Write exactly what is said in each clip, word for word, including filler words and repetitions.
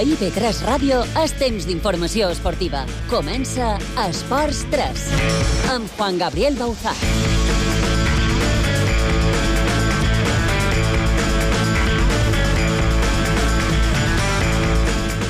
A I B tres Ràdio és temps d'informació esportiva. Comença Esports tres amb Juan Gabriel Bauzá.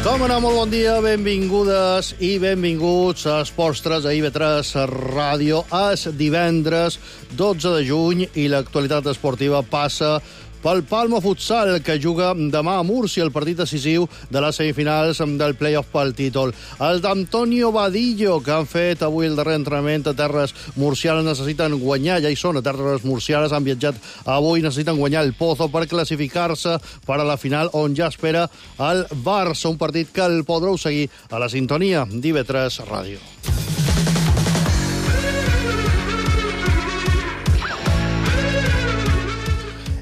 Com anar, molt bon dia, benvingudes i benvinguts a Esports tres, a I B tres Ràdio. És divendres dotze de juny i l'actualitat esportiva passa pel Palma Futsal, que juga demà a Múrcia, el partit decisiu de les semifinals del play-off pel títol. Els d'Antonio Vadillo, que han fet avui el darrer entrenament a terres murcianes, necessiten guanyar, ja hi són a terres murcianes, han viatjat avui, necessiten guanyar el Pozo per classificar-se per a la final, on ja espera el Barça, un partit que el podreu seguir a la sintonia d'I B tres Ràdio.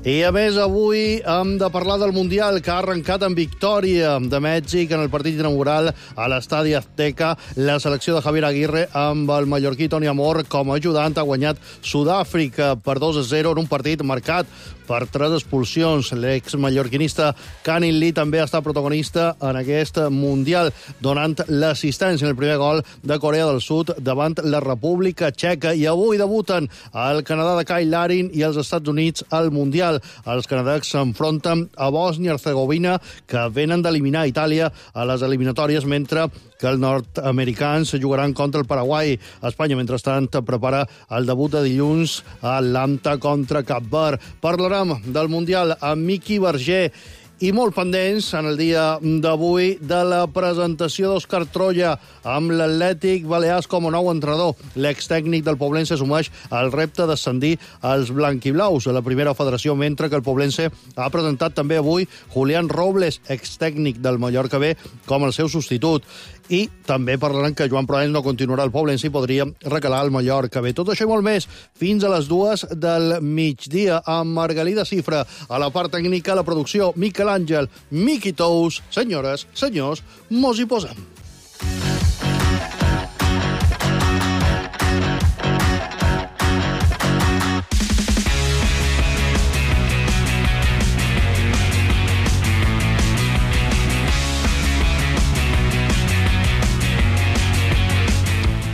I a més, avui hem de parlar del Mundial, que ha arrencat amb victòria de Mèxic en el partit inaugural a l'Estadi Azteca. La selecció de Javier Aguirre, amb el mallorquí Toni Amor com a ajudant, ha guanyat Sud-àfrica per dos a zero en un partit marcat per tres expulsions. L'ex-mallorquinista Canin Lee també ha estat protagonista en aquest Mundial, donant l'assistència en el primer gol de Corea del Sud davant la República Txeca. I avui debuten el Canadà de Kyle Larin i els Estats Units al Mundial. Els canadencs s'enfronten a Bòsnia i Hercegovina, que venen d'eliminar Itàlia a les eliminatòries, mentre que els nord-americans jugaran contra el Paraguai. Espanya, mentrestant, prepara el debut de dilluns a Atlanta contra Cap Verd. Parlarem del Mundial amb Miqui Verger i molt pendents en el dia d'avui de la presentació d'Òscar Troya amb l'Atlètic Balears com a nou entrenador. L'extècnic del Poblense assumeix el repte d'ascendir als blanquiblaus a la primera federació, mentre que el Poblense ha presentat també avui Julián Robles, extècnic del Mallorca B, com el seu substitut. I també parlaran que Joan Proens no continuarà al Poblense i podria recalar al Mallorca B. Tot això i molt més fins a les dues del migdia amb Margalida Cifra. A la part tècnica, la producció, Miquel Àngel, Miqui Tous. Senyores, senyors, mos hi posem.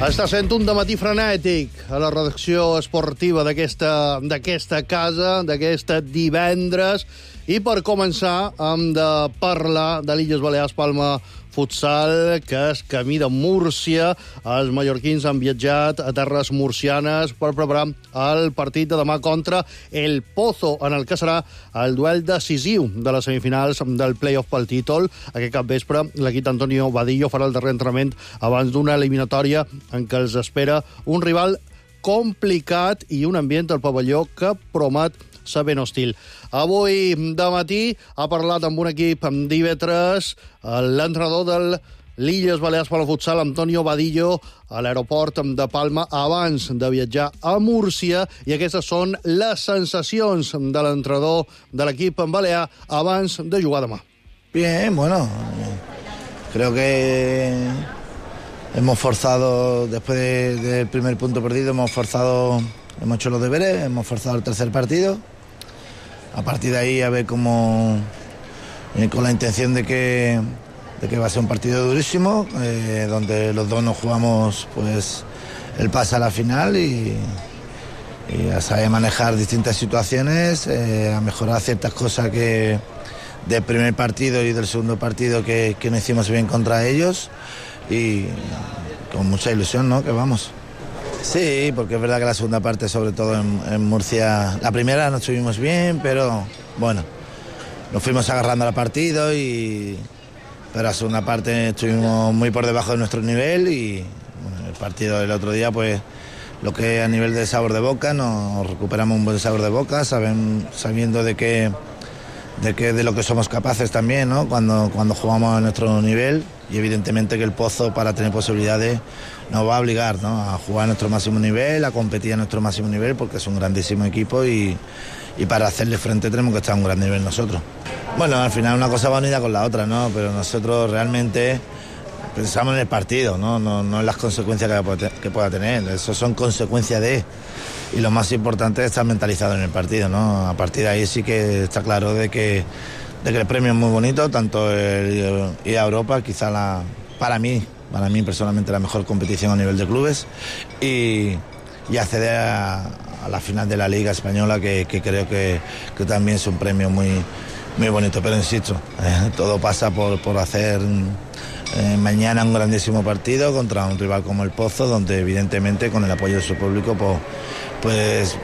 Està sent un dematí frenètic a la redacció esportiva d'aquesta d'aquesta casa, d'aquest divendres. I per començar hem de parlar de l'Illes Balears Palma Futsal, que és camí de Múrcia. Els mallorquins han viatjat a terres murcianes per preparar el partit de demà contra el Pozo, en el que serà el duel decisiu de les semifinals del play-off pel títol. Aquest capvespre, l'equip d'Antonio Vadillo farà el darrer entrenament abans d'una eliminatòria en què els espera un rival complicat i un ambient al pavelló que promet ser ben hostil. Avui de matí ha parlat amb un equip d'I B tres l'entrenador del l'Illes Balears Palma Futsal, Antonio Vadillo, a l'aeroport de Palma abans de viatjar a Múrcia, i aquestes són les sensacions de l'entrenador de l'equip en balear abans de jugar demà. Bien, bueno, creo que hemos forzado, después de, del primer punto perdido, hemos forzado, hemos hecho los deberes, hemos forzado el tercer partido. A partir de ahí a ver cómo, eh, con la intención de que, de que va a ser un partido durísimo, eh, donde los dos nos jugamos pues el pase a la final y, y a saber manejar distintas situaciones, eh, a mejorar ciertas cosas que del primer partido y del segundo partido que, que no hicimos bien contra ellos, y con mucha ilusión, ¿no?, que vamos. Sí, porque es verdad que la segunda parte, sobre todo en, en Murcia, la primera no estuvimos bien, pero bueno, nos fuimos agarrando al partido, y pero la segunda parte estuvimos muy por debajo de nuestro nivel, y bueno, el partido del otro día, pues lo que a nivel de sabor de boca, nos recuperamos un buen sabor de boca, saben, sabiendo de que de que de lo que somos capaces también, ¿no?, cuando, cuando jugamos a nuestro nivel, y evidentemente que el Pozo, para tener posibilidades, nos va a obligar, ¿no?, a jugar a nuestro máximo nivel, a competir a nuestro máximo nivel, porque es un grandísimo equipo, y, y para hacerle frente tenemos que estar a un gran nivel nosotros. Bueno, al final una cosa va unida con la otra, ¿no?, pero nosotros realmente pensamos en el partido, no, no, no en las consecuencias que, que pueda tener. Eso son consecuencias de... Y lo más importante es estar mentalizado en el partido, ¿no? A partir de ahí sí que está claro de que, de que el premio es muy bonito, tanto el ir a Europa, quizá la, para mí, para mí personalmente la mejor competición a nivel de clubes, y, y acceder a, a la final de la Liga Española, que, que creo que, que también es un premio muy, muy bonito. Pero insisto, eh, todo pasa por, por hacer eh, mañana un grandísimo partido contra un rival como el Pozo, donde evidentemente con el apoyo de su público pues, pues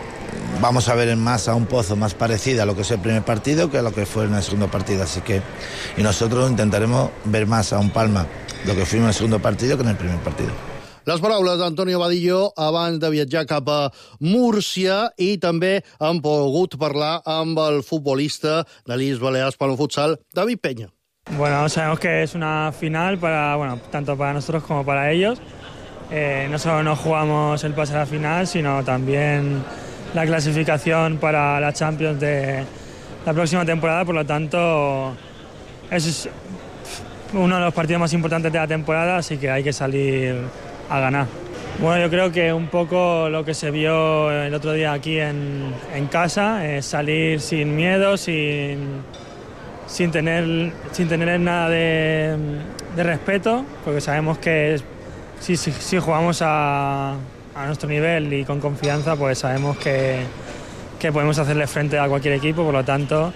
vamos a ver más a un Pozo más parecida a lo que es el primer partido que a lo que fue en el segundo partido. Así que, y nosotros intentaremos ver más a un Palma lo que fuimos en el segundo partido que en el primer partido. Les paraules d'Antonio Vadillo abans de viatjar cap a Múrcia, i també hem pogut parlar amb el futbolista de l'Illes Balears Palma Futsal, David Peña. Bueno, sabemos que es una final para, bueno, tanto para nosotros como para ellos. Eh, no solo nos jugamos el pase a la final, sino también la clasificación para la Champions de la próxima temporada. Por lo tanto, es uno de los partidos más importantes de la temporada, así que hay que salir a ganar. Bueno, yo creo que un poco lo que se vio el otro día aquí en, en casa es salir sin miedo, sin, sin, tener, sin tener nada de, de respeto, porque sabemos que si, si, si jugamos a, a nuestro nivel y con confianza, pues sabemos que, que podemos hacerle frente a cualquier equipo. Por lo tanto,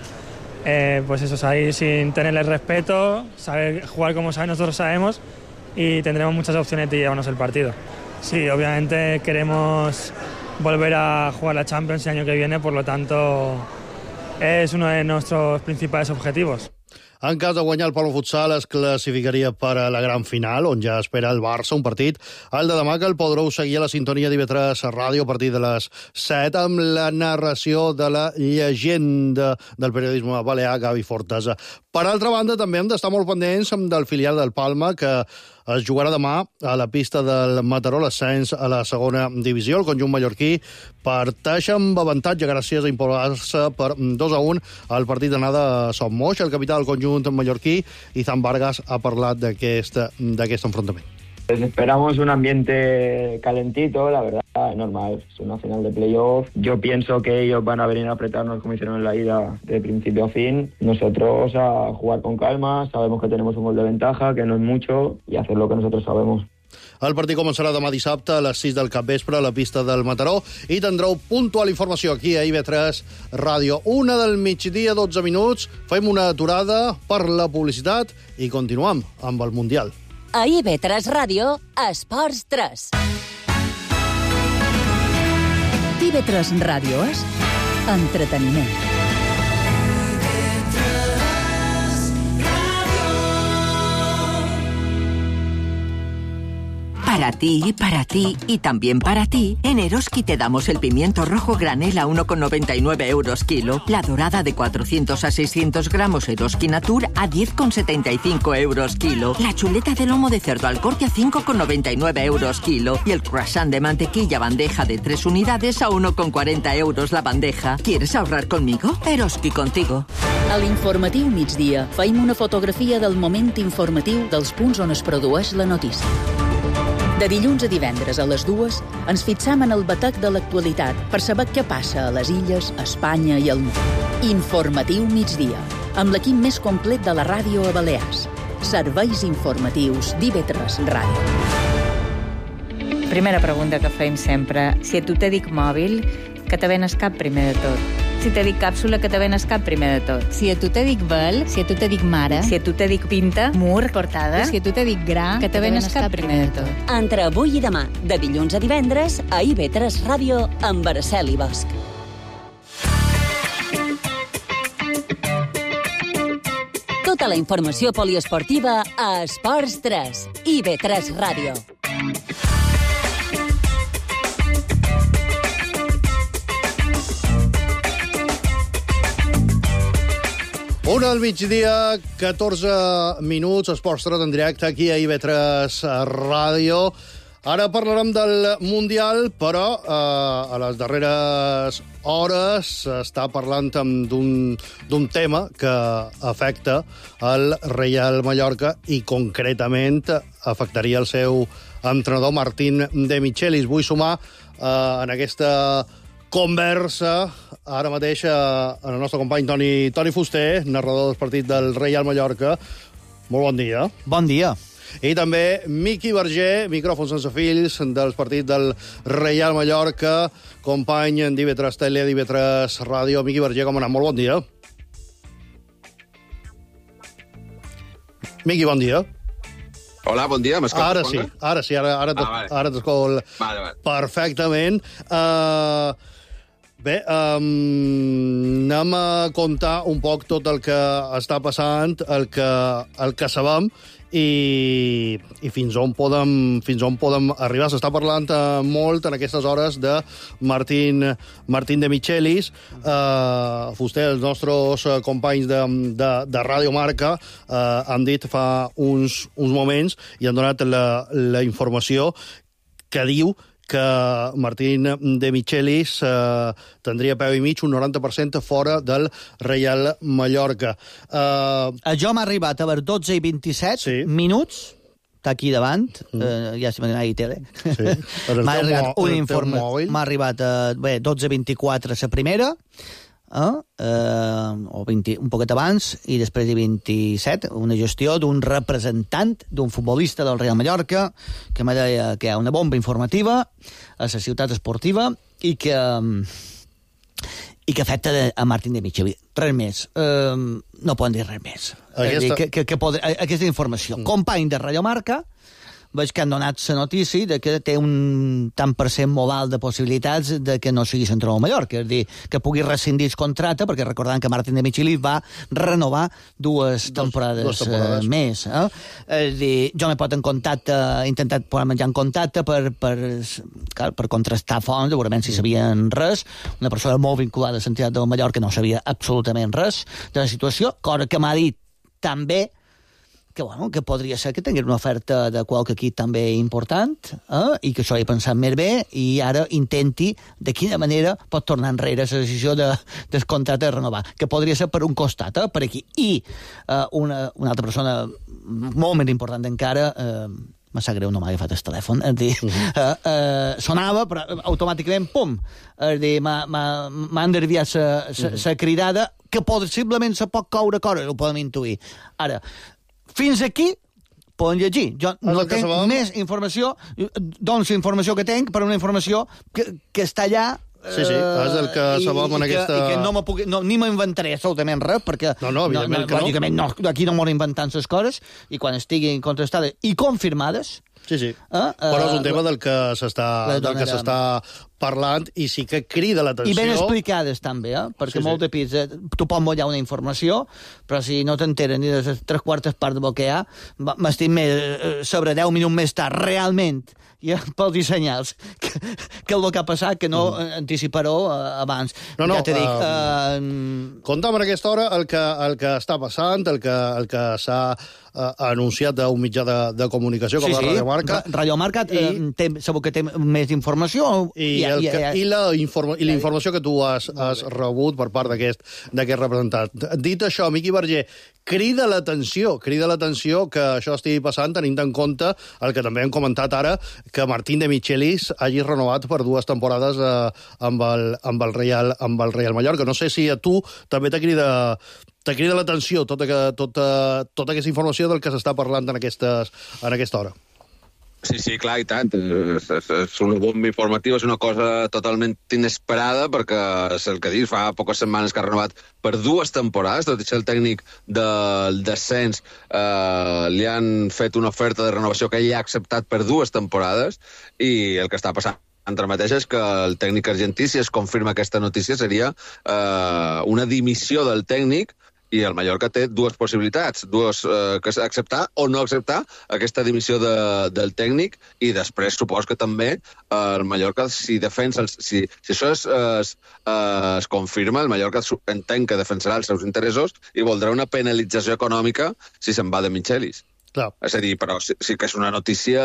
eh, pues eso, salir sin tenerle respeto, saber jugar como sabe, nosotros sabemos, y tendremos muchas opciones de llevarnos el partido. Sí, obviamente queremos volver a jugar la Champions el año que viene, por lo tanto es uno de nuestros principales objetivos. En cas de guanyar el Palma Futsal es classificaria per a la gran final, on ja espera el Barça, un partit, el de demà, que el podreu seguir a la sintonia d'I V tres Ràdio a partir de les set, amb la narració de la llegenda del periodisme balear, Gavi Fortesa. Per altra banda, també hem d'estar molt pendents del filial del Palma, que es jugarà demà a la pista del Mataró, l'ascens a la segona divisió. El conjunt mallorquí parteix amb avantatge gràcies a imposar-se per dos a un al partit d'anada a Son Moix. El capità del conjunt mallorquí, Izan Vargas, ha parlat d'aquest d'aquest enfrontament. Pues esperamos un ambiente calentito, la verdad, normal, es una final de playoff. Yo pienso que ellos van a venir a apretarnos como hicieron en la ida de principio a fin. Nosotros a jugar con calma, sabemos que tenemos un gol de ventaja, que no es mucho, y hacer lo que nosotros sabemos. El partit començarà demà dissabte a les sis del capvespre a la pista del Mataró i tindreu puntual informació aquí a I V tres Ràdio. Una del migdia, dotze minuts. Fem una aturada per la publicitat i continuem amb el Mundial. A I V tres Ràdio, Esports tres. I V tres Ràdio és entreteniment. Para ti, para ti y también para ti, en Eroski te damos el pimiento rojo granel a uno con noventa y nueve euros kilo, la dorada de cuatrocientos a seiscientos gramos Eroski Natur a diez con setenta y cinco euros kilo, la chuleta de lomo de cerdo al corte a cinco con noventa y nueve euros kilo y el croissant de mantequilla bandeja de tres unidades a uno con cuarenta euros la bandeja. ¿Quieres ahorrar conmigo? Eroski contigo. A l'informatiu migdia feim una fotografia del moment informatiu dels punts on es produeix la notícia. De dilluns a divendres a les dues ens fixam en el batec de l'actualitat per saber què passa a les illes, a Espanya i al món. Informatiu migdia, amb l'equip més complet de la ràdio a Balears. Serveis informatius d'I V tres Ràdio. Primera pregunta que fem sempre. Si a tu te dic mòbil, que te ven el cap primer de tot? Si te dic càpsula, que te ven el cap primer de tot? Si a tu te dic vel, si a tu te dic mare, si a tu te dic pinta, mur, portada, si a tu te dic gra, que te ven el cap primer de tot? Entre avui i demà, de dilluns a divendres, a I V tres Ràdio, amb Araceli Bosch. Tota la informació poliesportiva a Esports tres, I V tres Ràdio. Una del migdia, catorze minuts, Esports tres en directe aquí a I V tres Ràdio. Ara parlarem del Mundial, però eh, a les darreres hores s'està parlant d'un tema que afecta el Reial Mallorca i concretament afectaria el seu entrenador Martín de Michelis. Vull sumar eh, en aquesta conversa ara mateix amb el nostre company Toni, Toni Fuster, narrador del partit del Reial Mallorca. Molt bon dia. Bon dia. I també Miqui Verger, micròfon sense fills, del partit del Reial Mallorca, company d'I V tres Tele, d'I V tres Ràdio. Miqui Verger, com ha anat? Molt bon dia. Miqui, bon dia. Hola, bon dia, m'escoltes? Ara sí, ara sí, ara, ara, ah, vale. ara t'escolto vale, vale. perfectament. Uh, bé, um, anem a contar un poc tot el que està passant, el que, el que sabem, i, i fins on podem, fins on podem arribar. S'està parlant uh, molt en aquestes hores de Martín, Martín de Michelis. Uh, Fuster, els nostres uh, companys de, de, de Ràdio Marca uh, han dit fa uns, uns moments i han donat la, la informació que diu que Martín de Michelis eh, tindria peu i mig un noranta per cent fora del Reial Mallorca. Eh... Jo m'ha arribat a les dotze i vint-i-set sí. minuts, està aquí davant, mm. eh, ja si m'ha dit tele. Sí. M'ha arribat un informe, m'ha arribat a bé, dotze i vint-i-quatre la primera, eh, eh, o vint, un poquet abans, i després de vint-i-set, una gestió d'un representant, d'un futbolista del Real Mallorca, que me deia que hi ha una bomba informativa a la ciutat esportiva i que, i que afecta a Martín de Michelis. Res més. Eh, no poden dir res més. Aquesta... Dir, que, que, que podré, aquesta informació. Mm. Company de Radio Marca, veig que han donat la notícia de que té un tant per cent modal de possibilitats de que no sigui central a Mallorca, és a dir, que pugui rescindir el contracte, perquè recordant que Martín de Michelis va renovar dues temporades, dos, dos temporades. Eh, més. Eh? És a dir, jo m'he posat en contacte, he intentat posar-me ja en contacte per, per, per contrastar fonts, segurament si sabien res. Una persona molt vinculada a la ciutat de Mallorca no sabia absolutament res de la situació, cosa que m'ha dit també que, bueno, que podria ser que tingués una oferta de qualque equip també important, eh? I que això he pensat més bé, i ara intenti de quina manera pot tornar enrere la decisió de, del contracte de renovar, que podria ser per un costat, eh? Per aquí. I eh, una, una altra persona molt més important encara, eh, me sap greu, no m'ha agafat el telèfon, és dir, uh -huh. eh, eh, sonava, però automàticament, pum, és dir, m'ha enderviat la uh -huh. cridada, que possiblement se pot coure coses, ho podem intuir. Ara, fins aquí poden llegir. Jo no tinc més informació, doncs la informació que tinc, per una informació que, que està allà. Sí, sí, és el que sabem en aquesta... I que no, puc, no ni m'inventaré absolutament res, perquè... No, no, evidentment no, no, que no. Lògicament, no, aquí no m'ho inventant les coses, i quan estiguin contrastades i confirmades... Sí, sí, eh? però és un tema del que s'està parlant i sí que crida l'atenció. I ben explicades també, eh? Perquè sí, molt de pis, eh? Tu pots mullar una informació, però si no t'enteres ni de les tres quartes parts del que hi ha, m'estic més, sobre deu minuts més tard, realment, ja pels dissenyals, que, que el que ha passat, que no mm. anticiparó uh, abans. No, no, ja t'he dit... Uh, uh... Contem en aquesta hora el que, el que està passant, el que, el que s'ha uh, anunciat d'un mitjà de, de comunicació com sí, la sí. Radio Marca. Radio Marca I, eh, té, segur que té més informació. I, i, el que, i, la, informa, i la informació que tu has, has rebut per part d'aquest representant. Dit això, Miqui Verger, crida l'atenció, crida l'atenció que això estigui passant, tenint en compte el que també hem comentat ara, que Martín de Michelis hagi renovat per dues temporades eh, amb, el, amb, el Real, amb el Real Mallorca. No sé si a tu també te crida, te crida l'atenció tota, tota, tota aquesta informació del que s'està parlant en, aquestes, en aquesta hora. Sí, sí, clar, i tant. És, és, és una bomba informativa, és una cosa totalment inesperada, perquè és el que dius, fa poques setmanes que ha renovat per dues temporades, tot i ser el tècnic del descens, eh, li han fet una oferta de renovació que ell ha acceptat per dues temporades, i el que està passant ara mateix és que el tècnic argentí, si es confirma aquesta notícia, seria eh, una dimissió del tècnic, i el Mallorca té dues possibilitats, dues, eh, que acceptar o no acceptar aquesta dimissió de, del tècnic, i després supos que també eh, el Mallorca, si defensa, els, si, si això es, es, es confirma, el Mallorca entén que defensarà els seus interessos i voldrà una penalització econòmica si se'n va de Michelis. Clar. És a dir, però sí, sí que és una notícia,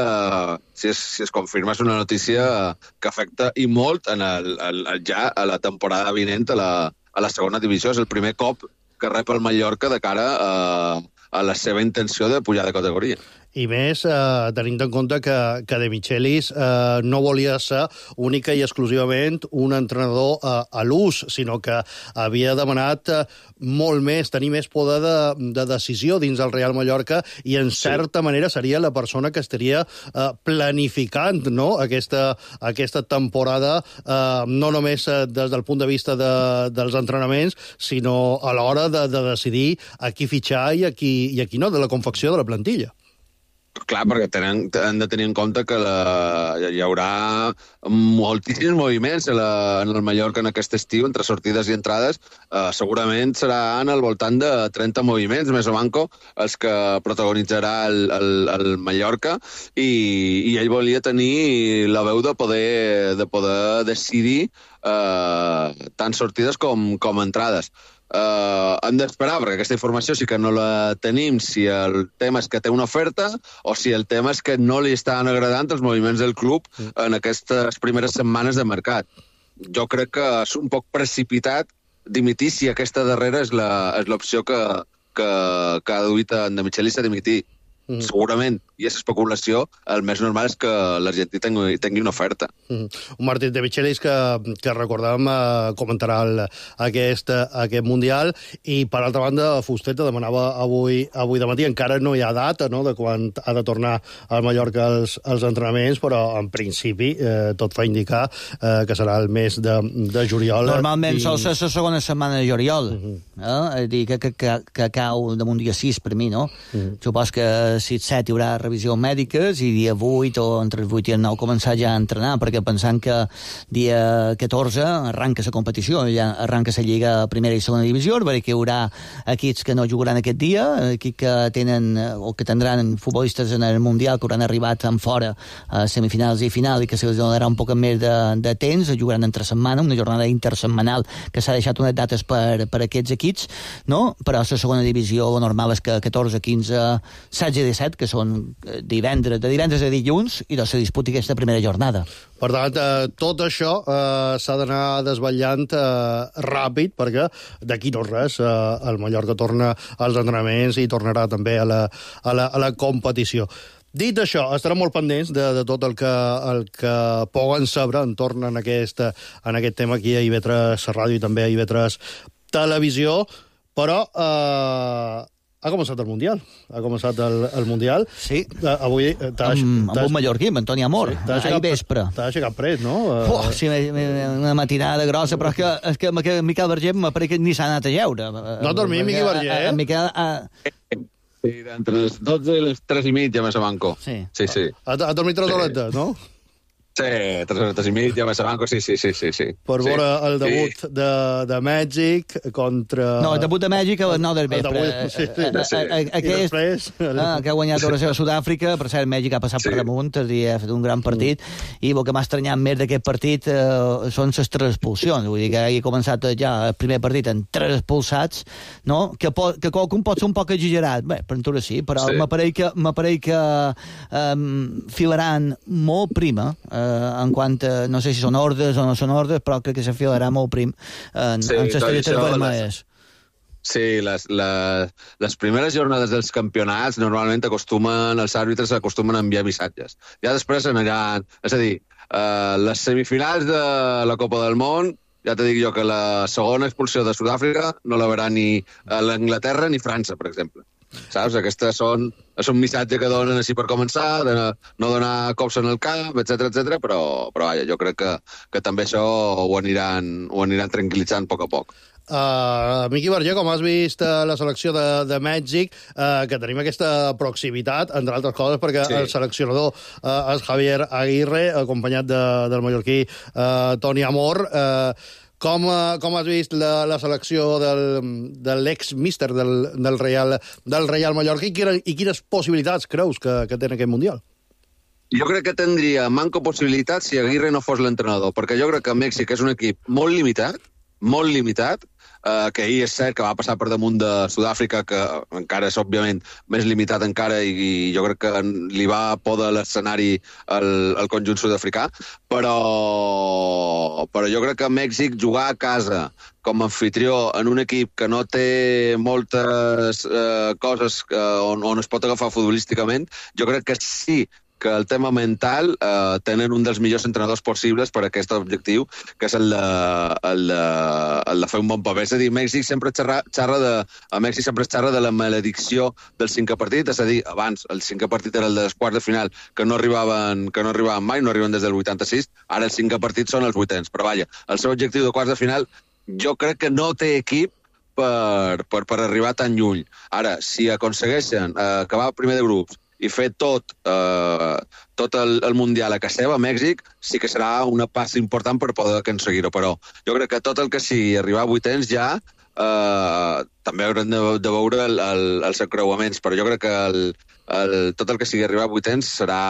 si es, si es confirma, és una notícia que afecta i molt en el, el, el, ja a la temporada vinent a la, a la segona divisió. És el primer cop que rep el Mallorca de cara a, a la seva intenció de pujar de categoria. i més eh, tenint en compte que, que De Michelis eh, no volia ser única i exclusivament un entrenador eh, a l'ús, sinó que havia demanat eh, molt més, tenir més poder de, de decisió dins del Real Mallorca i, en certa sí. manera, seria la persona que estaria eh, planificant, no?, aquesta, aquesta temporada, eh, no només eh, des del punt de vista de, dels entrenaments, sinó a l'hora de, de decidir a qui fitxar i a qui, i a qui no, de la confecció de la plantilla. Clar, perquè tenen, han de tenir en compte que la, hi haurà moltíssims moviments a la, en el Mallorca en aquest estiu, entre sortides i entrades. Eh, segurament seran al voltant de trenta moviments, més o manco, els que protagonitzarà el, el, el Mallorca, i, i ell volia tenir la veu de poder, de poder decidir eh, tant sortides com, com entrades. Uh, hem d'esperar, perquè aquesta informació sí que no la tenim, si el tema és que té una oferta o si el tema és que no li estan agradant els moviments del club en aquestes primeres setmanes de mercat. Jo crec que és un poc precipitat dimitir si aquesta darrera és l'opció que, que, que ha duit en De Michelis a dimitir. Mm. Segurament, i és especulació, el més normal és que l'Argentí tingui, tingui una oferta. Mm. Un Martín De Michelis que, que recordàvem eh, comentarà el, aquest, aquest Mundial, i per altra banda Fuster te demanava avui, avui de matí, encara no hi ha data, no?, de quan ha de tornar al Mallorca als, als entrenaments, però en principi eh, tot fa indicar eh, que serà el mes de, de juliol. Normalment i... sol ser la segona setmana de juliol, mm -hmm. eh? Dir que, que, que, que cau damunt dia sis per mi, no? Mm -hmm. Supos que si set hi haurà revisions mèdiques i dia vuit o entre el vuit i el nou començar ja a entrenar, perquè pensant que dia catorze arranca la competició, ja arranca la Lliga Primera i Segona Divisió, perquè hi haurà equips que no jugaran aquest dia, equips que tenen o que tindran futbolistes en el Mundial que hauran arribat en fora a semifinals i final i que se'ls donarà un poc més de, de temps, jugaran entre setmana, una jornada intersetmanal que s'ha deixat unes dates per, per aquests equips, no? Però la Segona Divisió lo normal és que catorze, quinze, setze i disset, que són divendres, de divendres a dilluns, i doncs se disputi aquesta primera jornada. Per tant, eh, tot això eh, s'ha d'anar desvetllant eh, ràpid, perquè d'aquí no res, eh, el Mallorca torna als entrenaments i tornarà també a la, a la, a la competició. Dit això, estarem molt pendents de, de tot el que, el que puguen saber entorn en aquest, en aquest tema aquí a I V tres Ràdio i també a I V tres Televisió, però eh, ha començat el Mundial. Ha començat el, el Mundial. Sí. Uh, avui... Amb, amb un mallorquí, amb Antoni Amor. Sí, ahir vespre. T'ha aixecat pres, no? Uh... Oh, sí, una matinada grossa, però és que, és que, que Miquel Verger m'apareix que ni s'ha anat a lleure. No ha dormit, Miqui Verger, eh? Miquel... A... Sí, entre les dotze i les tres i mitja, més a manco. Sí. Sí, sí. Ha, ha dormit tres horetes, no? Sí, tres horetes i mitja, més a manco, sí, sí, sí, sí. sí. Per sí. veure el debut sí. de, de Mèxic contra... No, el debut de Mèxic a les nou del vespre. Sí, sí. sí. Aquest, després... ah, que ha guanyat a Sud-àfrica, per cert, Mèxic ha passat sí. per damunt, i ha fet un gran partit, mm. i el que m'ha estranyat més d'aquest partit eh, són les tres expulsions. Vull dir que hagi començat ja el primer partit amb tres expulsats, no? Que, po que qualcun pot ser un poc exagerat. Bé, per natura sí, però sí. m'apareix que, m'apareix que um, filaran molt prima, eh, en quant a, no sé si són ordres o no són ordres, però crec que se filarà molt prim en, sí, en les targetes vermelles. Sí, les, les, les primeres jornades dels campionats normalment acostumen, els àrbitres acostumen a enviar missatges. Ja després aniran... És a dir, eh, les semifinals de la Copa del Món, ja t'he dit jo que la segona expulsió de Sud-àfrica no la veurà ni l'Anglaterra ni França, per exemple. Saps? Aquestes són... És un missatge que donen així per començar, de no donar cops en el cap, etcètera, etcètera, però, però vaja, jo crec que, que també això ho aniran, ho aniran tranquil·litzant a poc a poc. Uh, Miqui Verger, com has vist uh, la selecció de, de Mèxic, uh, que tenim aquesta proximitat, entre altres coses, perquè sí. el seleccionador uh, és Javier Aguirre, acompanyat de, del mallorquí uh, Toni Amor. Uh, Com, com has vist la, la selecció del, de l'ex-míster del, del, Real, del Real Mallorca i, quina, i quines possibilitats creus que, que té en aquest Mundial? Jo crec que tindria manco possibilitat si Aguirre no fos l'entrenador, perquè jo crec que Mèxic és un equip molt limitat, molt limitat, eh, que ahir és cert que va passar per damunt de Sud-àfrica, que encara és, òbviament, més limitat encara, i, i jo crec que li va poder l'escenari al, al conjunt sud-africà, però, però jo crec que Mèxic jugar a casa com a anfitrió en un equip que no té moltes eh, coses que, on, on es pot agafar futbolísticament, jo crec que sí que el tema mental eh, tenen un dels millors entrenadors possibles per a aquest objectiu, que és el de, el de, el de fer un bon paper. És a dir, Mèxic sempre xerra, xerra de, a Mèxic sempre es xerra de la maledicció del cinquè partit, és a dir, abans el cinquè partit era el dels quarts de final, que no arribaven, que no arribaven mai, no arriben des del vuitanta-sis, ara el cinquè partit són els vuitens. Però vaja, el seu objectiu de quarts de final jo crec que no té equip per, per, per arribar tan lluny. Ara, si aconsegueixen eh, acabar primer de grups i fer tot, eh, tot el, el Mundial a casa seva, a Mèxic, sí que serà una passa important per poder aconseguir-ho. Però jo crec que tot el que sigui arribar a vuitens ja eh, també haurem de, de veure el, el, els encreuaments, però jo crec que el, el, tot el que sigui arribar a vuitens serà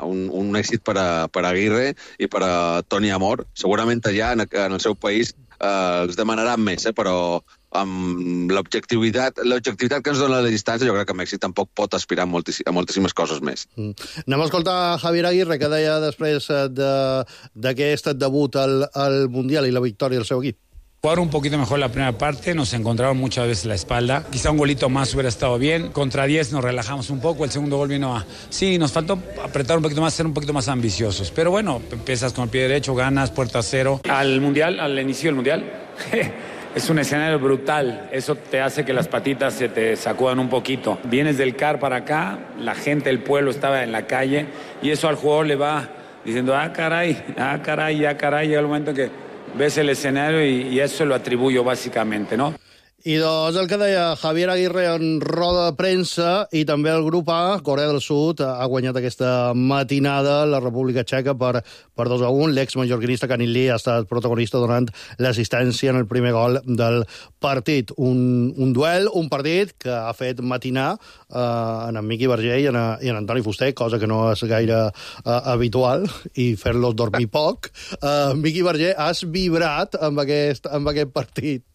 un, un èxit per a, per a Aguirre i per a Toni Amor. Segurament allà, en, en el seu país, eh, els demanaran més, eh, però amb l'objectivitat l'objectivitat que ens dona la distància, jo crec que Mèxic tampoc pot aspirar a, moltíssim, a moltíssimes coses més. Mm. Anem a escoltar Javier Aguirre, que deia després d'aquest de, debut al, al Mundial i la victòria del seu equip. Jugaron un poquito mejor la primera parte, nos encontraron muchas veces la espalda. Quizá un golito más hubiera estado bien. Contra diez nos relajamos un poco, el segundo gol vino a... Sí, nos faltó apretar un poquito más, ser un poquito más ambiciosos. Pero bueno, empiezas con el pie derecho, ganas, puerta cero. Al Mundial, al inicio del Mundial... Es un escenario brutal, eso te hace que las patitas se te sacudan un poquito. Vienes del C A R para acá, la gente del pueblo estaba en la calle y eso al jugador le va diciendo, ah, caray, ah, caray, ah, caray. Llega el momento que ves el escenario y, y eso lo atribuyo básicamente, ¿no? I doncs el que deia Javier Aguirre en roda de premsa, i també el grup A, Corea del Sud, ha guanyat aquesta matinada la República Txeca per, per dos a un. L'ex-mallorquinista Kangin Lee ha estat protagonista donant l'assistència en el primer gol del partit. Un, un duel, un partit que ha fet matinar eh, en en Miqui Verger i en, i en Antoni Fuster, cosa que no és gaire eh, habitual, i fer-los dormir poc. Eh, Miqui Verger, has vibrat amb aquest, amb aquest partit.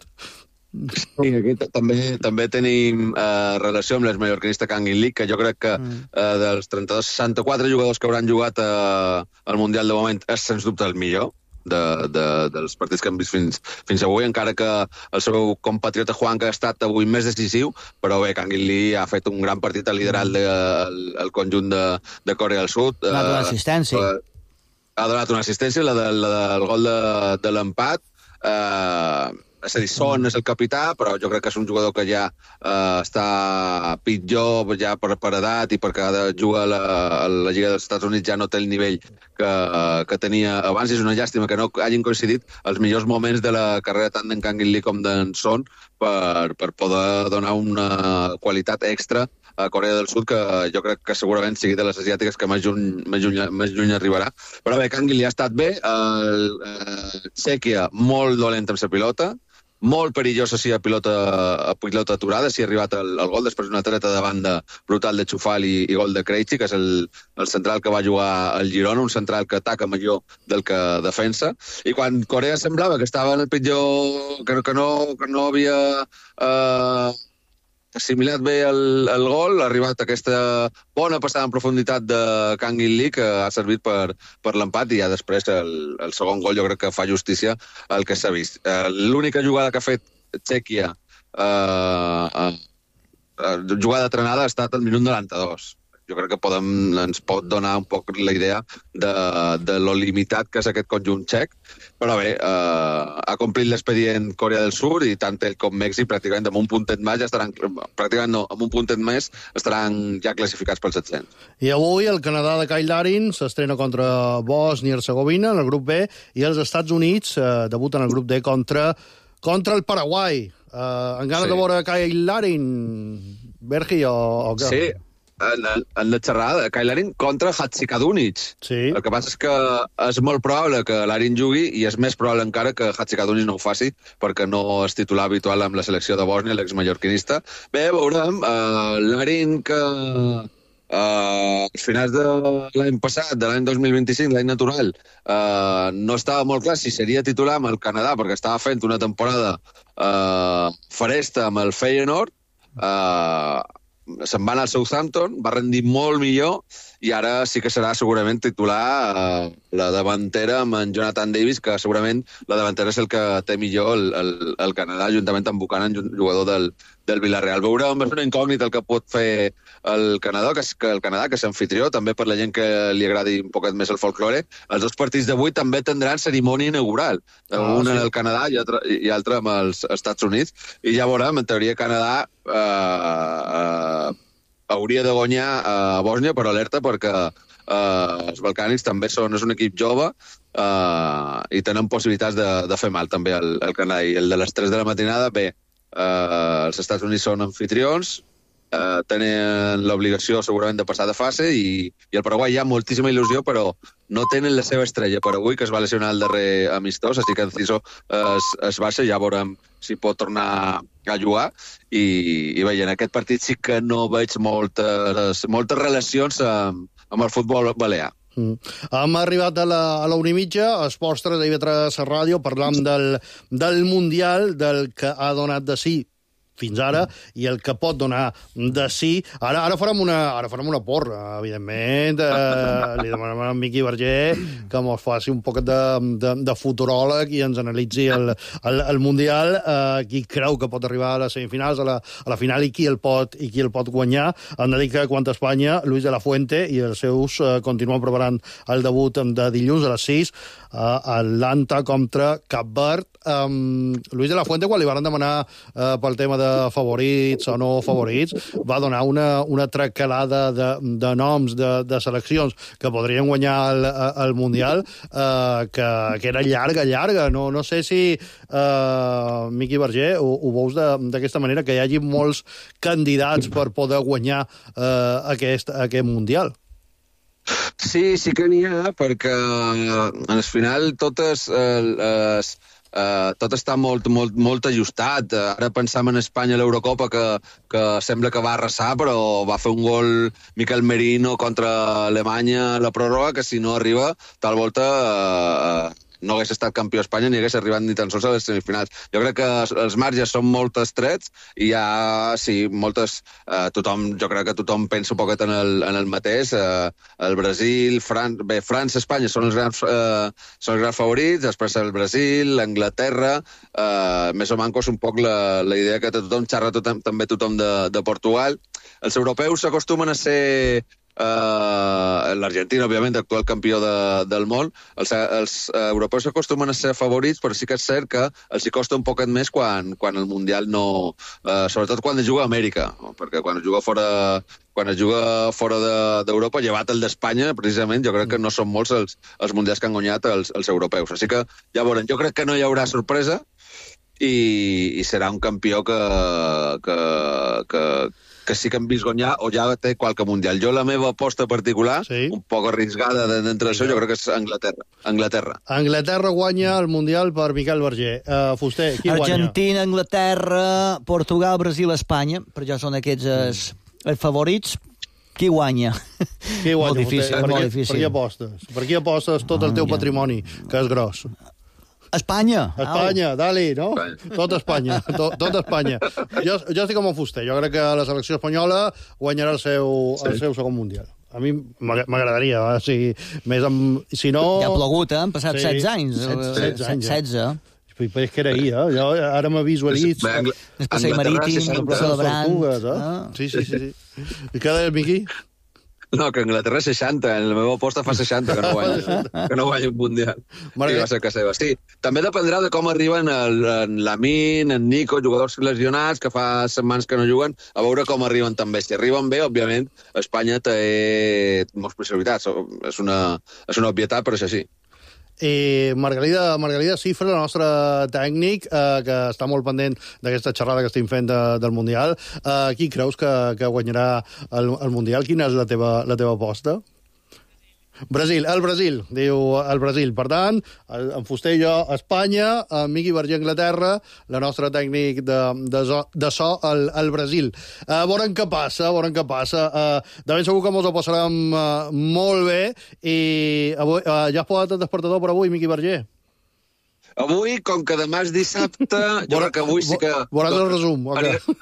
Sí, aquí també també tenim eh, relació amb l'ex-mallorquinista Kangin Lee, que jo crec que eh, dels trenta-dos seixanta-quatre jugadors que hauran jugat eh, al Mundial de moment és sens dubte el millor de, de, dels partits que hem vist fins, fins avui, encara que el seu compatriota Juanca ha estat avui més decisiu, però bé, Kangin Lee ha fet un gran partit, ha liderat el, el, el conjunt de, de Corea del Sud. Ha donat una assistència. Eh, ha donat una assistència, la, de, la del gol de, de l'empat. Eh, és a dir, Son és el capità, però jo crec que és un jugador que ja eh, està pitjor ja per, per edat i perquè juga a la, a la Lliga dels Estats Units ja no té el nivell que, que tenia abans. És una llàstima que no hagin coincidit els millors moments de la carrera tant d'en Kangin Lee com d'en Son per, per poder donar una qualitat extra a Corea del Sud, que jo crec que segurament sigui de les asiàtiques que més lluny, més lluny, més lluny arribarà. Però bé, Kangin Lee ha estat bé, el, el Txèquia molt dolent amb la pilota, molt perillosa si a pilota, a pilota aturada, si ha arribat el, el gol, després d'una treta de banda brutal de Chufal i, i gol de Krejci, que és el, el central que va jugar al Girona, un central que ataca millor del que defensa. I quan Corea semblava que estava en el pitjor, que, que, no, que no havia eh, assimilat bé el, el gol, ha arribat aquesta bona passada en profunditat de Kangin Lee, que ha servit per, per l'empat, i ja després el, el segon gol jo crec que fa justícia al que s'ha vist. Eh, l'única jugada que ha fet Txèquia, eh, eh, jugada trenada, ha estat al minut noranta-dos. Jo crec que podem, ens pot donar un poc la idea de, de lo limitat que és aquest conjunt txec, però bé, eh, ha complit l'expedient Corea del Sud i tant ell com Mèxic pràcticament amb un puntet més ja estaran, pràcticament no, amb un puntet més estaran ja classificats pels set-cents. I avui el Canadà de Kyle Larin s'estrena contra Bòsnia i Hercegovina en el grup B, i els Estats Units eh, debuten en el grup D contra, contra el Paraguai. Eh, en ganes sí. de veure Kyle Larin, Bergi, o, o què? Sí. En, en la xerrada, Kyle Larin contra Hadzikadunic. Sí. El que passa és que és molt probable que Larin jugui i és més probable encara que Hadzikadunic no ho faci perquè no és titular habitual amb la selecció de Bòsnia, l'ex-mallorquinista. Bé, veurem. Uh, Larin que, Uh, als finals de l'any passat, de l'any dos mil vint-i-cinc, l'any natural, uh, no estava molt clar si seria titular amb el Canadà, perquè estava fent una temporada uh, faresta amb el Feyenoord, uh, se'n va anar al Southampton, va rendir molt millor, i ara sí que serà segurament titular uh, la davantera amb en Jonathan Davis, que segurament la davantera és el que té millor el, el, el Canadà, juntament amb Buchanan, jugador del, del Villarreal. Veurem, és una incògnita el que pot fer el Canadà, que, que el Canadà, que és anfitrió, també per la gent que li agradi un poquet més el folklore. Els dos partits d'avui també tindran cerimònia inaugural, ah, un sí. en el Canadà i altre, i altre amb els Estats Units, i ja veurem, en teoria Canadà eh, eh, hauria de guanyar a Bòsnia, però alerta perquè eh, els balcànics també són, és un equip jove eh, i tenen possibilitats de, de fer mal també al, al Canadà. I el de les tres de la matinada, bé, eh, els Estats Units són anfitrions, eh, tenen l'obligació segurament de passar de fase, i, i el Paraguai hi ha moltíssima il·lusió, però no tenen la seva estrella per avui, que es va lesionar el darrer amistós, així que Enciso es, es baixa, ja veurem si pot tornar a jugar, i, i bé, en aquest partit sí que no veig moltes, moltes relacions amb, amb el futbol balear. Mm. Hem arribat a la, a la una i mitja, a Esports tres, a I V tres Ràdio, parlant del, del Mundial, del que ha donat de sí fins ara, i el que pot donar de sí. Ara, ara, farem, una, ara farem una porra, evidentment. Eh, li demanem a Miqui Verger que ens faci un poc de, de, de futuròleg i ens analitzi el, el, el Mundial, eh, qui creu que pot arribar a les semifinals, a la, a la final, i qui el pot, i qui el pot guanyar. Hem de dir que quant a Espanya, Luis de la Fuente i els seus eh, continuen preparant el debut de dilluns a les sis, a Atlanta contra Cap Verd. Um, Luis de la Fuente, quan li van demanar uh, pel tema de favorits o no favorits, va donar una, una tracalada de, de noms de, de seleccions que podrien guanyar el, el Mundial, uh, que, que era llarga, llarga. No, no sé si, uh, Miqui Verger, ho, ho veus d'aquesta manera, que hi hagi molts candidats per poder guanyar uh, aquest, aquest Mundial. Sí, sí que n'hi ha, perquè al final totes les... Uh, tot està molt, molt, molt ajustat. Uh, ara pensam en Espanya a l'Eurocopa, que, que sembla que va arrasar, però va fer un gol Miquel Merino contra Alemanya a la pròrroga, que si no arriba, tal volta uh, no hagués estat campió a Espanya ni hagués arribat ni tan sols a les semifinals. Jo crec que els marges són molt estrets i hi ha, sí, moltes... Eh, tothom, jo crec que tothom pensa un poquet en el, en el mateix. Eh, el Brasil, Fran... bé, França, Espanya són els grans, eh, són els grans favorits, després el Brasil, l'Anglaterra, eh, més o manco és un poc la, la idea que tothom xerra, tothom, també tothom de, de Portugal. Els europeus s'acostumen a ser... Uh, l'Argentina, òbviament, actual campió de, del món. Els, els uh, europeus s'acostumen a ser favorits, però sí que és cert que els hi costa un poquet més quan, quan el Mundial no... Uh, sobretot quan es juga a Amèrica, no? Perquè quan es juga fora... quan es juga fora d'Europa, de, llevat el d'Espanya, precisament, jo crec que no són molts els, els mundials que han guanyat els, els europeus. Així que, ja veurem, jo crec que no hi haurà sorpresa i, i serà un campió que, que, que, que sí que hem vist guanyar o ja té qualque mundial. Jo la meva aposta particular, sí, un poc arriscada d'entre això, jo crec que és Anglaterra. Anglaterra. Anglaterra guanya el Mundial per Miquel Verger. Uh, Fuster, qui guanya? Argentina, Anglaterra, Portugal, Brasil, Espanya, per ja són aquests els, els favorits. Qui guanya? Qui guanya? Molt difícil, per, molt qui, difícil. per qui apostes? Per qui apostes tot el teu patrimoni, que és gros? Espanya. Espanya, dali, no? Tot Espanya, tot, tot Espanya. Jo, jo estic com un Fuster. Jo crec que la selecció espanyola guanyarà el seu, sí, el seu segon mundial. A mi m'agradaria, eh? Si, més amb, si no... Ja ha plogut, eh? Han passat sí, setze anys. setze anys, setze. Però és que era ahir, eh? Jo ara m'he visualitzat... El passeig marítim, celebrant... Eh? Sí, sí, sí. I què deies, Miqui? No, que Anglaterra seixanta, en la meva aposta fa seixanta que no guanya, que no guanya un mundial. I va ser que seva. Sí, també dependrà de com arriben el, en Lamin, en Nico, jugadors lesionats que fa setmanes que no juguen, a veure com arriben també. Si arriben bé, òbviament, Espanya té moltes possibilitats. És una, és una obvietat, però és així. I Margalida, Margalida Cifra, el nostre tècnic, eh, que està molt pendent d'aquesta xerrada que estem fent de, del Mundial. Eh, qui creus que, que guanyarà el, el Mundial? Quina és la teva, la teva aposta? Brasil, el Brasil, diu el Brasil. Per tant, en Fuster i jo, Espanya, en Miqui Verger, Anglaterra, la nostra tècnic de, de, so, de so, el, el Brasil. Uh, veurem què passa, veurem què passa. Uh, de ben segur que ens ho passarem uh, molt bé i avui, uh, ja has posat el despertador per avui, Miqui Verger? Avui, com que demà és dissabte, jo crec que avui sí que... Veuràs el resum, ok.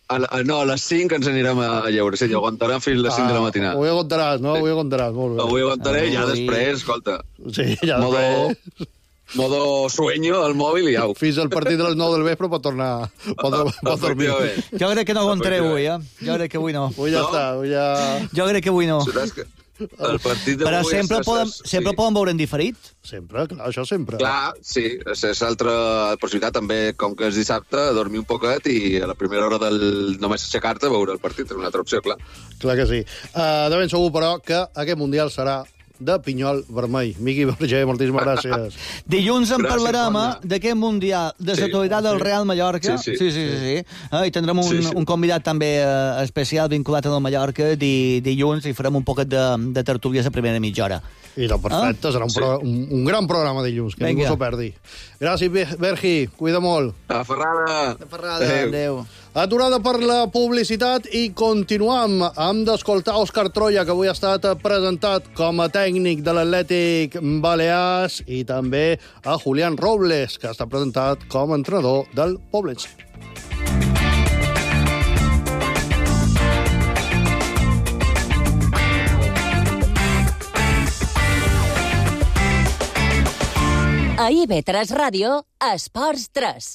A la, no, a les cinc ens anirem a lleure. Sí, aguantarem fins a les cinc ah, de la matinada. Avui aguantaràs, no? Sí. Avui aguantaràs, molt bé. Avui aguantaré i ja després, escolta... Sí, ja modo, després... Modo sueño al mòbil i au. Fins al partit de les nou del vespre pot tornar... Pot, pot dormir. Jo crec que no aguantaré avui, eh? Jo crec que avui no. Avui ja no? està, avui ja... Jo crec que avui no. Que... El partit d'avui... Però sempre, poden, sempre sí. poden veure en diferit? Sempre, clar, això sempre. Clar, sí, és altra possibilitat també, com que és dissabte, dormir un poquet i a la primera hora del només aixecar-te veure el partit, és una altra opció, clar. Clar que sí. Uh, de ben segur, però, que aquest Mundial serà de pinyol vermell. Miqui Verger, moltíssimes gràcies. Dilluns en parlarem d'aquest Mundial de sí, l'actualitat del Real Mallorca. Sí, sí. sí, sí, sí, sí. Eh, I tindrem un, sí, sí. un convidat també eh, especial vinculat al Mallorca di, dilluns i farem un poquet de, de tertúlia a la primera mitja hora. I doncs perfecte, ah? serà un, pro, un, un gran programa dilluns, que Venga. ningú s'ho perdi. Gràcies, Bergi, cuida molt. A Ferrada. A Ferrada, adéu. adéu. Aturada per la publicitat i continuam. Hem d'escoltar Òscar Troya, que avui ha estat presentat com a tècnic de l'Atlètic Balears, i també a Julián Robles, que ha estat presentat com a entrenador del Poblense. A I V tres Ràdio, Esports tres.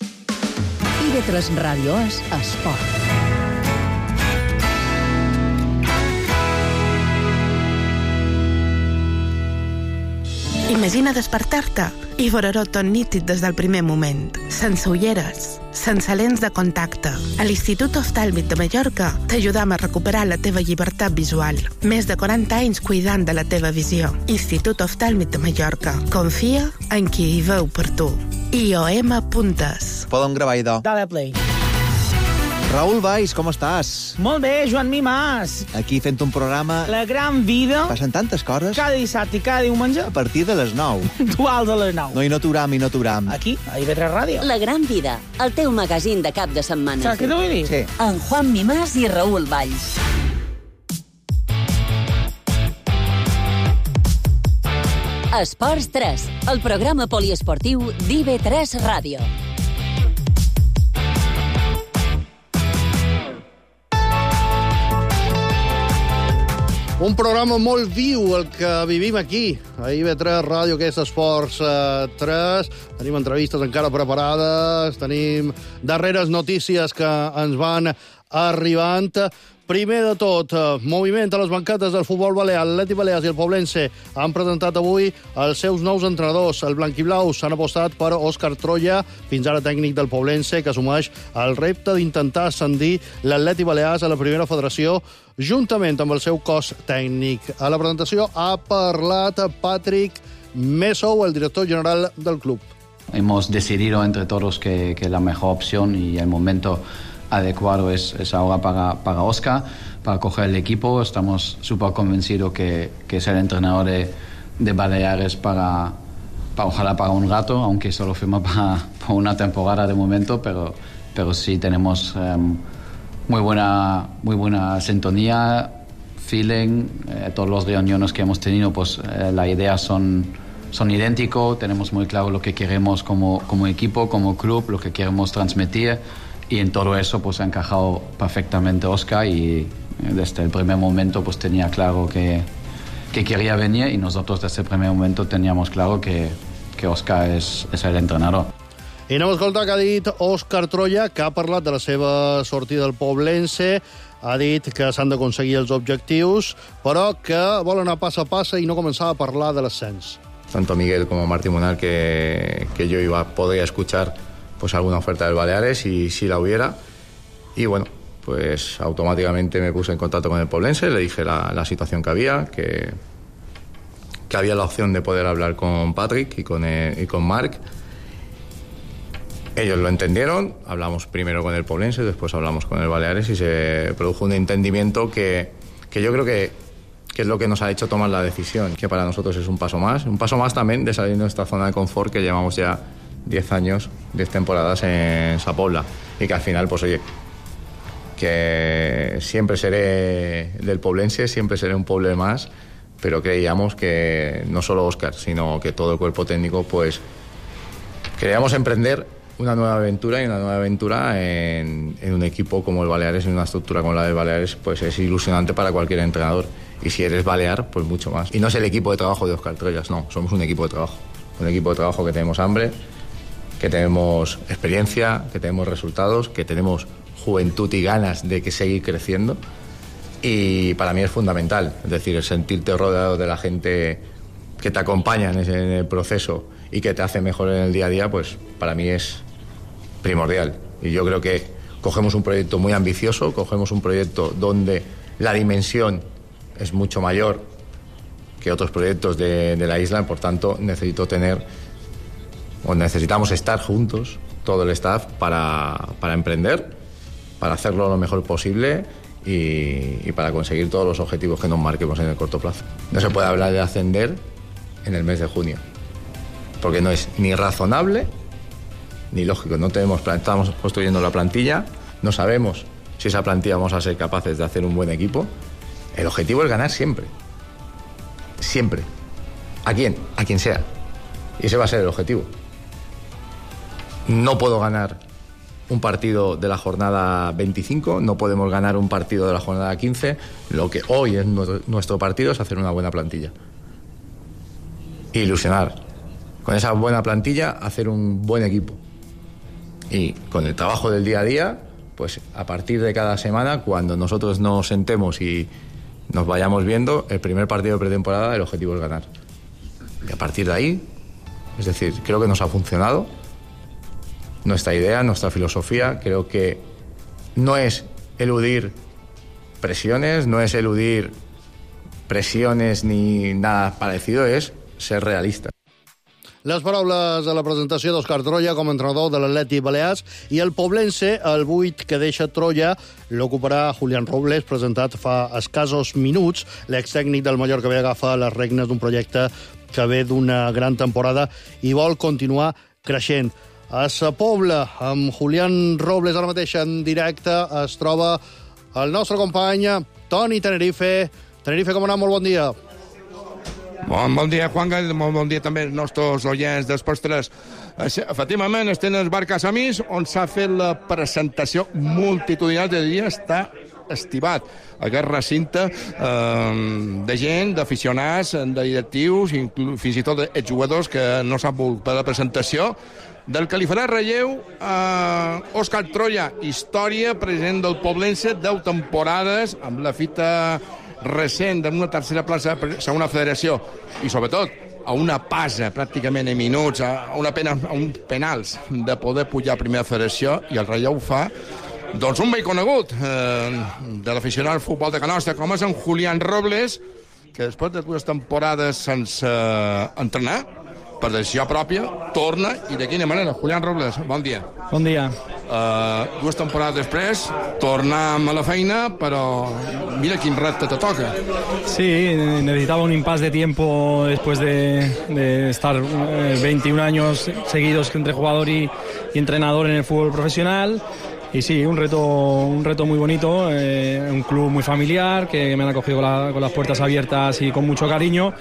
I V tres Ràdio és esport. Imagina despertar-te i veure-ho tot nítid des del primer moment, sense ulleres, sense lents de contacte. A l'Institut Oftàlmic de Mallorca t'ajudam a recuperar la teva llibertat visual. Més de quaranta anys cuidant de la teva visió. Institut Oftàlmic de Mallorca. Confia en qui hi veu per tu. I O M Puntes. Podem gravar, idò. Dale play. Raül Valls, com estàs? Molt bé, Joan Mimàs. Aquí fent un programa... La gran vida. Passen tantes coses. Cada dissabte i cada diumenge. A partir de les nou. Dual de les nou. No, i no t'uram, i no t'uram. Aquí, a I V tres Ràdio. La gran vida, el teu magazín de cap de setmana. Saps què t'ho vull dir? Sí. En Juan Mimàs i Raül Valls. Esports tres, el programa poliesportiu d'I V tres Ràdio. Un programa molt viu, el que vivim aquí, a I V tres Ràdio, que és Esports tres. Tenim entrevistes encara preparades, tenim darreres notícies que ens van arribant. Primer de tot, moviment a les banquetes del futbol balear. L'Atlètic Balears i el Poblense han presentat avui els seus nous entrenadors. El blanquiblaus s'han apostat per Òscar Troya, fins ara tècnic del Poblense, que assumeix el repte d'intentar ascendir l'Atlètic Balears a la primera federació, juntament amb el seu cos tècnic. A la presentació ha parlat Patrick Messou, el director general del club. Hemos decidido entre todos que, que la mejor opción y el momento adecuado es, es ahora para, para Óscar, para coger el equipo. Estamos súper convencidos que, que es el entrenador de, de Baleares para, para, ojalá para un rato, aunque solo firma para, para una temporada de momento, pero, pero sí tenemos um, muy buena, muy buena sintonía, feeling. Eh, todos los reuniones que hemos tenido, pues eh, las ideas son, son idénticos, tenemos muy claro lo que queremos como, como equipo, como club, lo que queremos transmitir. Y en todo eso pues ha encajado perfectamente Óscar y desde el primer momento pues tenía claro que, que quería venir y nosotros desde el primer momento teníamos claro que, que Óscar és, és el entrenador. I anem a escoltar que ha dit Òscar Troya, que ha parlat de la seva sortida del Poblense, ha dit que s'han d'aconseguir els objectius, però que vol anar pas a pas i no començar a parlar de l'ascens. Tanto Miguel como Martí Munar que, que yo iba, podría escuchar pues alguna oferta del Baleares y si la hubiera. Y bueno, pues automáticamente me puse en contacto con el Poblense, le dije la, la situación que había, que, que había la opción de poder hablar con Patrick y con, el, y con Marc. Ellos lo entendieron, hablamos primero con el Poblense, después hablamos con el Baleares y se produjo un entendimiento que, que yo creo que que es lo que nos ha hecho tomar la decisión, que para nosotros es un paso más, un paso más también de salir de nuestra zona de confort, que llevamos ya diez años, diez temporadas en Sa Pobla, y que al final, pues oye, que siempre seré del poblense, siempre seré un poble más, pero creíamos que no solo Óscar, sino que todo el cuerpo técnico, pues queríamos emprender una nueva aventura, y una nueva aventura en, en un equipo como el Baleares, en una estructura como la del Baleares, pues es ilusionante para cualquier entrenador. Y si eres balear, pues mucho más. Y no es el equipo de trabajo de Óscar Troyas, no, somos un equipo de trabajo. Un equipo de trabajo que tenemos hambre, que tenemos experiencia, que tenemos resultados, que tenemos juventud y ganas de que seguir creciendo. Y para mí es fundamental, es decir, el sentirte rodeado de la gente que te acompaña en el proceso y que te hace mejor en el día a día, pues para mí es primordial. Y yo creo que cogemos un proyecto muy ambicioso, cogemos un proyecto donde la dimensión es mucho mayor que otros proyectos de, de la isla, por tanto necesito tener, o necesitamos estar juntos, todo el staff, para, para emprender, para hacerlo lo mejor posible y, y para conseguir todos los objetivos que nos marquemos en el corto plazo. No se puede hablar de ascender en el mes de junio, porque no es ni razonable ni lógico. No tenemos, estamos construyendo la plantilla, no sabemos si esa plantilla vamos a ser capaces de hacer un buen equipo. El objetivo es ganar siempre. Siempre. ¿A quién? A quien sea. Y ese va a ser el objetivo. No puedo ganar un partido de la jornada veinticinco, no podemos ganar un partido de la jornada quince. Lo que hoy es nuestro partido es hacer una buena plantilla. Ilusionar. Con esa buena plantilla, hacer un buen equipo. Y con el trabajo del día a día, pues a partir de cada semana, cuando nosotros nos sentemos y nos vayamos viendo, el primer partido de pretemporada, el objetivo es ganar. Y a partir de ahí, es decir, creo que nos ha funcionado nuestra idea, nuestra filosofía. Creo que no es eludir presiones, no es eludir presiones ni nada parecido, es ser realista. Les paraules de la presentació d'Òscar Troya com a entrenador de l'Atlètic Balears, i el poblense, el vuit que deixa Troya, l'ocuparà Julián Robles, presentat fa escassos minuts. L'extècnic del Mallorca ve a agafar les regnes d'un projecte que ve d'una gran temporada i vol continuar creixent. A Sa Pobla, amb Julián Robles ara mateix en directe, es troba el nostre company Toni Tenerife. Tenerife, com anar? Molt bon dia. Bon, bon dia, Juanga, i molt bon dia també als nostres oients d'Esports tres. Efectivament, estem al bar Casamís, on s'ha fet la presentació multitudinal de dia, està estivat. Aquest recinte eh, de gent, d'aficionats, de directius, fins i tot d'exjugadors que no s'han volgut per la presentació, del que li farà relleu a Òscar Troya, història, president del Poblense, deu temporades, amb la fita recent d'una tercera plaça per segona federació, i sobretot a una passa pràcticament en minuts, a, una pena, a uns penals de poder pujar a primera federació, i el relleu fa doncs un vell conegut eh, de l'aficionat al futbol de Can Nostra, com és en Julián Robles, que després de dues temporades sense eh, entrenar, per decisió pròpia, torna, i de quina manera. Julián Robles, bon dia. Bon dia. Uh, dues temporades després, tornem a la feina, però mira quin repte te toca. Sí, necesitaba un impas de tiempo después de, de estar eh, veintiún años seguidos entre jugador y, y entrenador en el fútbol profesional. Y sí, un reto, un reto muy bonito, eh, un club muy familiar, que me han acogido con, la, con las puertas abiertas y con mucho cariño,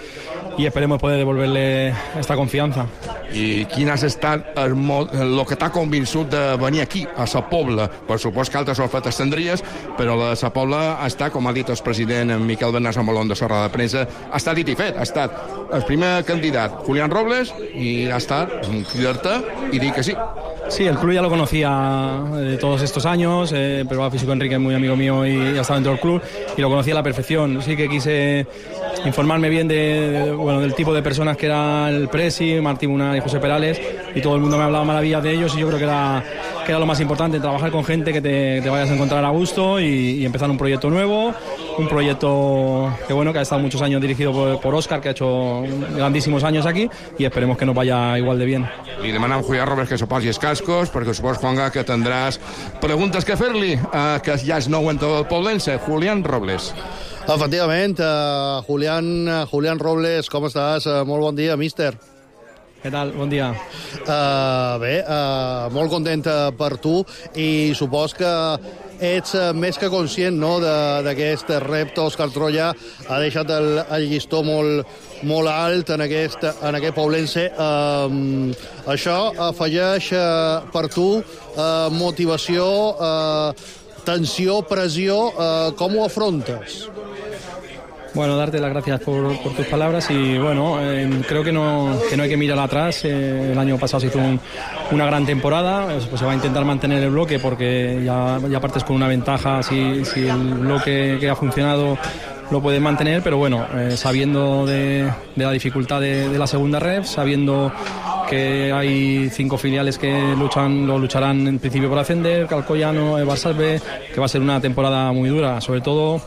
y esperemos poder devolverle esta confianza. I quin has estat el, el que t'ha convençut de venir aquí, a Sa Pobla? Per supost que altres ofertes tindries, però la Sa Pobla ha estat, com ha dit el president Miquel Bernat Samolón de Sorra de Premsa, ha estat dit i fet, ha estat el primer candidat, Julián Robles, y ha estat cridar-te i dir que sí. Sí, el club ya lo conocía de todos estos años, eh, el preparador físico Enrique es muy amigo mío y ha estado dentro del club y lo conocía a la perfección. Sí que quise informarme bien de, de, bueno, del tipo de personas que era el Presi, Martí Munar y José Perales, y todo el mundo me hablaba maravillas de ellos, y yo creo que era, que era lo más importante, trabajar con gente que te, te vayas a encontrar a gusto y, y empezar un proyecto nuevo, un proyecto que bueno que ha estado muchos años dirigido por, por Óscar, que ha hecho grandísimos años aquí, y esperemos que nos vaya igual de bien. Li demanem a Julián Robles que se posi els cascos, perquè supos, Juanga, que tindràs preguntes que fer-li, uh, que ja és nou entre el poblense. Julián Robles. Efectivament, uh, Julián, Julián Robles, com estàs? Uh, molt bon dia, míster. Què tal? Bon dia. Uh, bé, uh, molt content per tu i supos que ets uh, més que conscient, no?, d'aquest repte. Òscar Troya ha deixat el, el llistó molt, molt alt en aquest, en aquest Poblense. Uh, això afegeix uh, per tu uh, motivació, uh, tensió, pressió. Uh, com ho afrontes? Bueno, darte las gracias por, por tus palabras y bueno, eh, creo que no, que no hay que mirar atrás. Eh, el año pasado se hizo un, una gran temporada, pues se va a intentar mantener el bloque porque ya, ya partes con una ventaja si, si el bloque que ha funcionado lo puedes mantener, pero bueno, eh, sabiendo de, de la dificultad de, de la segunda ref, sabiendo que hay cinco filiales que luchan, lo lucharán en principio por ascender, Calcoyano, Barça B, que va a ser una temporada muy dura, sobre todo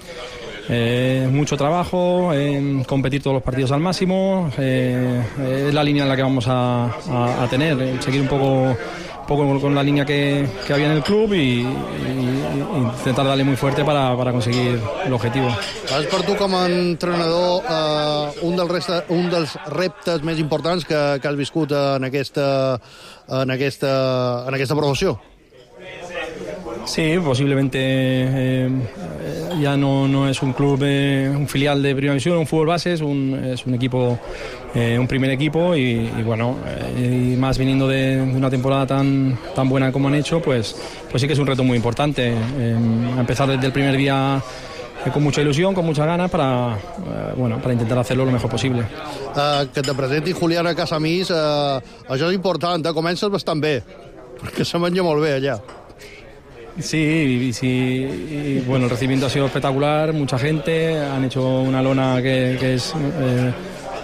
Eh, mucho trabajo, eh, competir todos los partidos al máximo, eh, es la línea en la que vamos a, a, a tener, eh, seguir un poco, un poco con la línea que, que había en el club y, y, y intentar darle muy fuerte para, para conseguir el objetivo. És per tu com a entrenador eh, un, dels resta, un dels reptes més importants que, que has viscut en aquesta, en aquesta, en aquesta professió? Sí, posiblemente eh, ya no, no es un club, eh, un filial de Primera División, un fútbol base, es un, es un equipo, eh, un primer equipo y, y bueno, eh, y más viniendo de, de una temporada tan, tan buena como han hecho, pues, pues sí que es un reto muy importante. Eh, empezar desde el primer día eh, con mucha ilusión, con muchas ganas para, eh, bueno, para intentar hacerlo lo mejor posible. Uh, que te presenti Julián a Casamís, uh, això és important, eh? Comences bastant bé, perquè se menja molt bé allà. Sí, y, sí y, bueno, el recibimiento ha sido espectacular, mucha gente, han hecho una lona que, que es eh,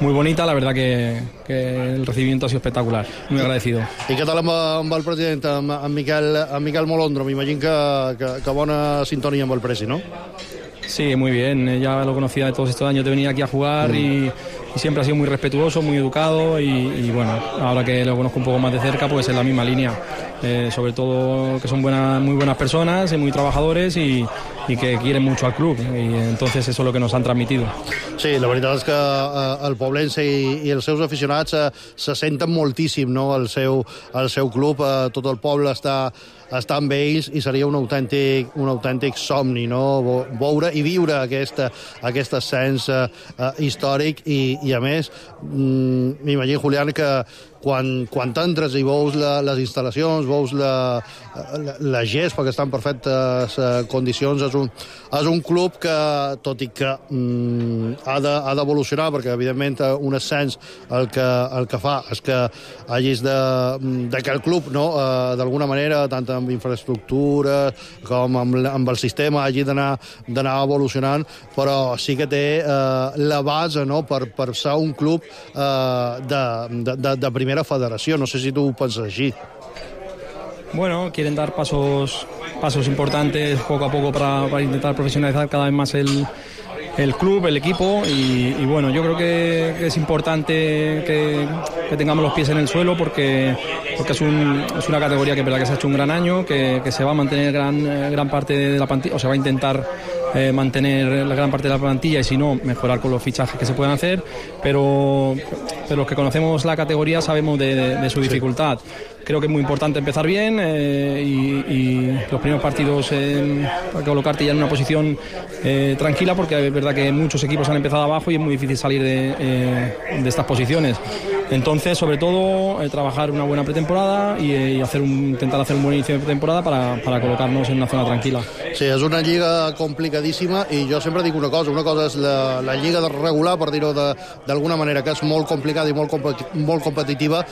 muy bonita, la verdad que, que el recibimiento ha sido espectacular, muy agradecido. I què tal amb, amb el president, amb, amb, Miquel, amb Miquel Molondro? M'imagino que, que, que bona sintonia amb el presi, ¿no? Sí, muy bien, ya lo conocía de todos estos años de venir aquí a jugar mm. y, y siempre ha sido muy respetuoso, muy educado y, y bueno, ahora que lo conozco un poco más de cerca, pues en la misma línea. Eh, sobre todo que son buenas, muy buenas personas y muy trabajadores y, y que quieren mucho al club y entonces eso es lo que nos han transmitido. Sí, la veritat és que eh, el Poblense i, i els seus aficionats eh, se senten moltíssim, no?, el seu, el seu club, eh, tot el poble està, està amb ells i seria un autèntic, un autèntic somni, no?, veure i viure aquest, aquest ascens eh, històric i, i a més mm, m'imagino, Julián, que quan, quan t'entres i veus la, les instal·lacions, veus la, la, la gespa que està en perfectes uh, condicions, és un, és un club que, tot i que mm, ha d'evolucionar, de, perquè evidentment un ascens el que, el que fa és que hagis de, de que el club, no, uh, d'alguna manera, tant amb infraestructura com amb, amb el sistema, hagi d'anar evolucionant, però sí que té uh, la base, no?, per, per ser un club uh, de, de, de, de primera federació. No sé si tú piensas así. Bueno, quieren dar pasos, pasos importantes poco a poco para, para intentar profesionalizar cada vez más el, el club, el equipo y, y bueno, yo creo que, que es importante que, que tengamos los pies en el suelo porque, porque es, un, es una categoría que es verdad que se ha hecho un gran año, que, que se va a mantener gran, gran parte de la plantilla, o se va a intentar Eh, mantener la gran parte de la plantilla y si no, mejorar con los fichajes que se puedan hacer, pero, pero los que conocemos la categoría sabemos de, de, de su dificultad. Creo que es muy importante empezar bien eh, y, y los primeros partidos eh, para colocarte ya en una posición eh, tranquila porque es verdad que muchos equipos han empezado abajo y es muy difícil salir de, eh, de estas posiciones. Entonces, sobre todo, eh, trabajar una buena pretemporada y, eh, y hacer un, intentar hacer un buen inicio de pretemporada para, para colocarnos en una zona tranquila. Sí, és una lliga complicadíssima i jo sempre dic una cosa, una cosa és la, la lliga regular, per dir-ho d'alguna manera, que és molt complicada i molt, molt competitiva,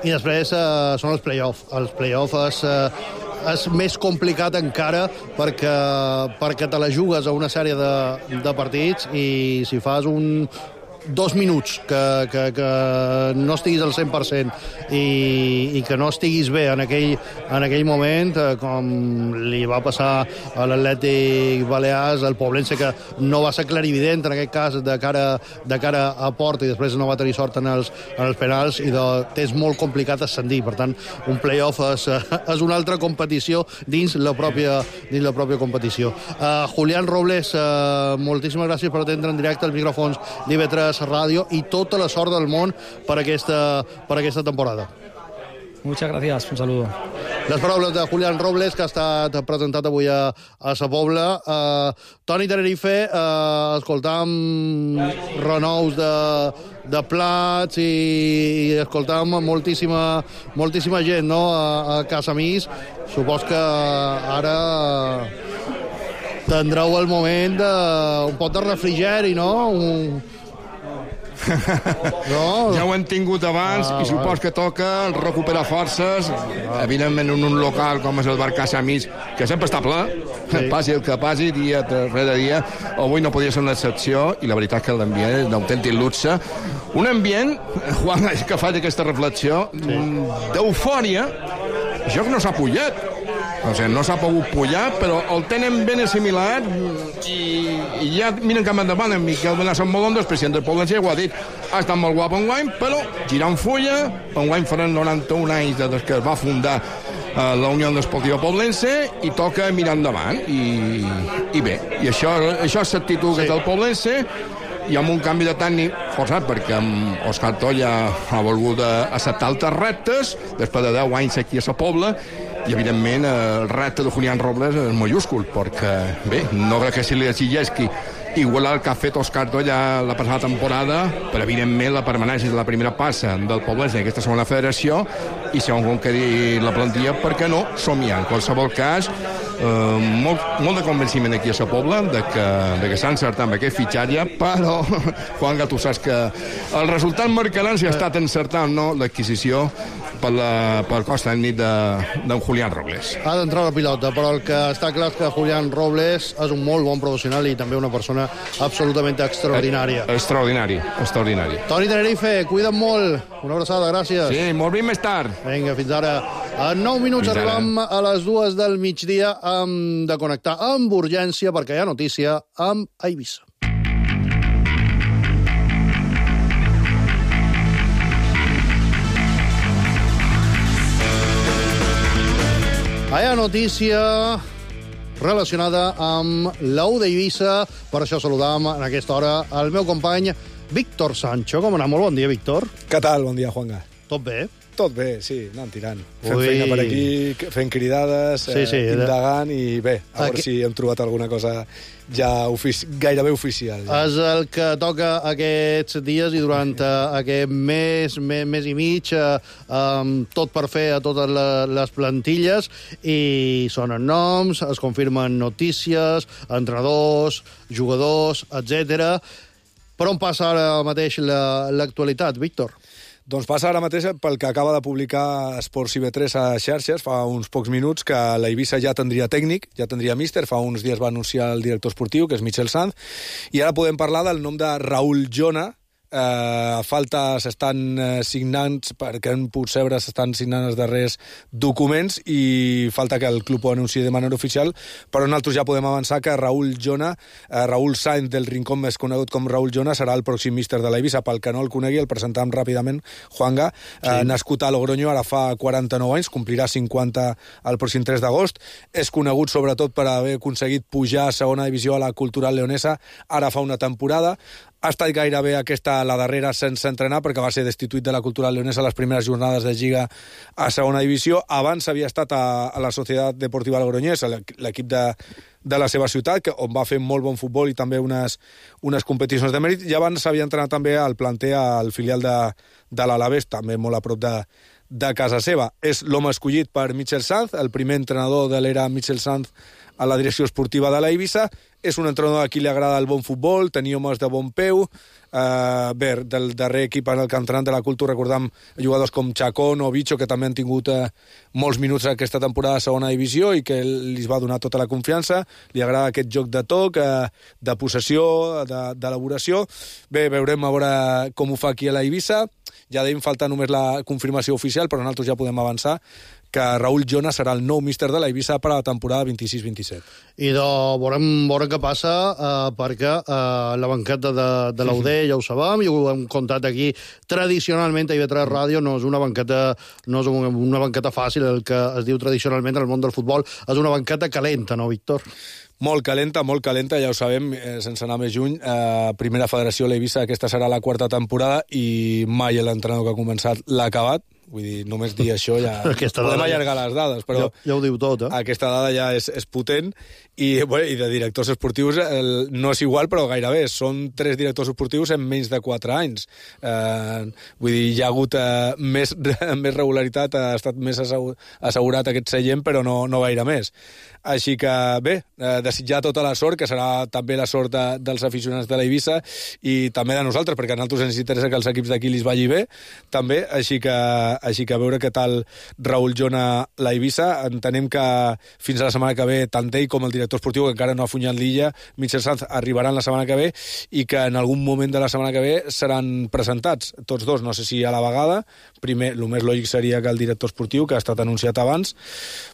i després eh, són els play-off. Els play-off és... Eh, és més complicat encara perquè, perquè te la jugues a una sèrie de, de partits i si fas un, dos minuts, que, que, que no estiguis al cent per cent i, i que no estiguis bé en aquell, en aquell moment, eh, com li va passar a l'Atlètic Balears, al Poblense, que no va ser clarivident en aquest cas de cara, de cara a porta i després no va tenir sort en els, en els penals i de, és molt complicat ascendir. Per tant, un play-off és, és una altra competició dins la pròpia, dins la pròpia competició. Uh, Julián Robles, uh, moltíssimes gràcies per atendre en directe als micròfons d'I V tres Ràdio i tota la sort del món per aquesta, per aquesta temporada. Muchas gracias, un saludo. Les paraules de Julián Robles, que ha estat presentat avui a, a Sa Pobla. Uh, Toni Tenerife, uh, escoltam renous de, de plats i, i escoltam moltíssima, moltíssima gent, no?, a, a Casamís. Supos que ara tindreu el moment de un pot de refrigeri, no? Un... No. Ja ho hem tingut abans ah, i supos que toca recuperar forces, ah. evidentment en un local com és el bar Casamís, que sempre està ple, sí. Passi el que passi, dia rere dia. Avui no podia ser una excepció i la veritat que l'ambient és d'autèntic luxe. Un ambient, Juan, que fa aquesta reflexió, sí. d'eufòria, això que no s'ha pujat. O sigui, no s'ha pogut pujar, però el tenen ben assimilat i, i ja miren cap endavant. En Miquel Benasson Molondos, president del Poblense, ho ha dit. Ha estat molt guapo enguany, però girant fulla, enguany faran noranta-un anys des que es va fundar eh, la Unió Esportiva Poblense i toca mirar endavant. I, i bé, i això, això és l'actitud sí. del Poblense, i amb un canvi de tècnic forçat, perquè Òscar Tolla ha volgut acceptar altres reptes, després de deu anys aquí a Sa Pobla, i evidentment el repte de Julián Robles és majúscul, perquè bé, no crec que se li exigeixi igualar el que ha fet Òscar Tolla la passada temporada, però evidentment la permanència de la primera passa del Poblense en aquesta segona federació, i segons com quedi la plantilla, per què no somiar. En qualsevol cas, eh, molt, molt de convenciment aquí a Sa Pobla de que, de que s'ha encertat amb aquest fitxatge, però Juanga, tu saps que el resultat marcarà si ha estat encertat o no l'adquisició per, la, per cos tècnic d'en Julián Robles. Ha d'entrar la pilota, però el que està clar és que Julián Robles és un molt bon professional i també una persona absolutament extraordinària. Eh, extraordinari, extraordinari. Toni Tenerife, cuida't molt. Una abraçada, gràcies. Sí, molt bé més tard. Vinga, fins ara. En nou minuts fins arribem ara. A les dues del migdia. Hem de connectar amb urgència perquè hi ha notícia amb Eivissa. Hi ha notícia relacionada amb l'U d'Eivissa. Per això saludam en aquesta hora el meu company Víctor Sancho. Com anar? Molt bon dia, Víctor. Què tal? Bon dia, Juanga. Tot bé? Tot bé, sí, anant tirant. Fent Ui. feina per aquí, fent cridades, sí, sí, eh, indagant, i bé, a veure Aqu... si hem trobat alguna cosa ja ofici... gairebé oficial. Ja. És el que toca aquests dies i durant uh, aquest mes, mes, mes i mig, uh, um, tot per fer a totes les plantilles, i sonen noms, es confirmen notícies, entrenadors, jugadors, etcètera. Per on passa ara mateix l'actualitat, la, Víctor? Doncs passa ara mateix pel que acaba de publicar Esports I V tres a xarxes fa uns pocs minuts, que l'Eivissa ja tindria tècnic, ja tindria míster. Fa uns dies va anunciar el director esportiu, que és Michel Sanz, i ara podem parlar del nom de Raúl Jona. Eh, falta s'estan eh, signant, perquè hem pogut saber, s'estan signant els darrers documents i falta que el club ho anunciï de manera oficial, però nosaltres ja podem avançar que Raúl Jona, eh, Raúl Sainz del Rincón, més conegut com Raúl Jona, serà el pròxim míster de l'Eivissa. Pel que no el conegui, el presentam ràpidament. Juanga, sí. eh, nascut a Logroño, ara fa quaranta-nou anys, complirà cinquanta el pròxim tres d'agost. És conegut sobretot per haver aconseguit pujar a segona divisió a la Cultural Leonesa ara fa una temporada. Ha estat gairebé aquesta la darrera sense entrenar, perquè va ser destituït de la Cultural Leonesa a les primeres jornades de Lliga a segona divisió. Abans havia estat a, a la Societat Deportiva Logroñés, l'equip de, de la seva ciutat, que, on va fer molt bon futbol i també unes, unes competicions de mèrit. I abans s'havia entrenat també al planter, al filial de, de l'Alavés, també molt a prop de, de casa seva. És l'home escollit per Michel Sanz, el primer entrenador de l'era Michel Sanz a la direcció esportiva de l'Eivissa. És un entrenador a qui li agrada el bon futbol, tenir homes de bon peu, Uh, bé, del darrer equip en el campionat de la Cultura recordam jugadors com Chacón o Bicho, que també han tingut uh, molts minuts aquesta temporada a segona divisió i que li va donar tota la confiança. Li agrada aquest joc de toc, uh, de possessió, d'elaboració. Bé, veurem a veure com ho fa aquí a la Eivissa. Ja dèiem, falta només la confirmació oficial, però nosaltres ja podem avançar que Raúl Llona serà el nou míster de la Eivissa per a la temporada vint-i-sis vint-i-set. I de, veurem, veurem què passa, eh, perquè eh, la banqueta de, de l'U D ja ho sabem, i ho hem contat aquí tradicionalment a I V tres Ràdio, no és una banqueta, no és una, una banqueta fàcil, el que es diu tradicionalment en el món del futbol, és una banqueta calenta, no, Víctor? Molt calenta, molt calenta, ja ho sabem, eh, sense anar més juny. Eh, primera federació a l'Eivissa, aquesta serà la quarta temporada i mai l'entrenador que ha començat l'ha acabat. Vull dir, només dir això ja... Podem allargar les dades, però... Ja, ja ho diu tot, eh? Aquesta dada ja és, és potent i, bueno, i de directors esportius el, no és igual, però gairebé. Són tres directors esportius en menys de quatre anys. Eh, vull dir, hi ha hagut eh, més, més regularitat, ha estat més assegurat aquest seient, però no, no gaire més. Així que, bé, eh, desitjar tota la sort, que serà també la sort de, dels aficionats de l'Eivissa i també de nosaltres, perquè a nosaltres ens interessa que els equips d'aquí li vagi bé, també, així que així que a veure què tal Raúl Llona la Eivissa. Entenem que fins a la setmana que ve tant ell com el director esportiu, que encara no ha funyat l'Illa, Michel Sanz, arribaran la setmana que ve i que en algun moment de la setmana que ve seran presentats tots dos, no sé si a la vegada. Primer, el més lògic seria que el director esportiu, que ha estat anunciat abans,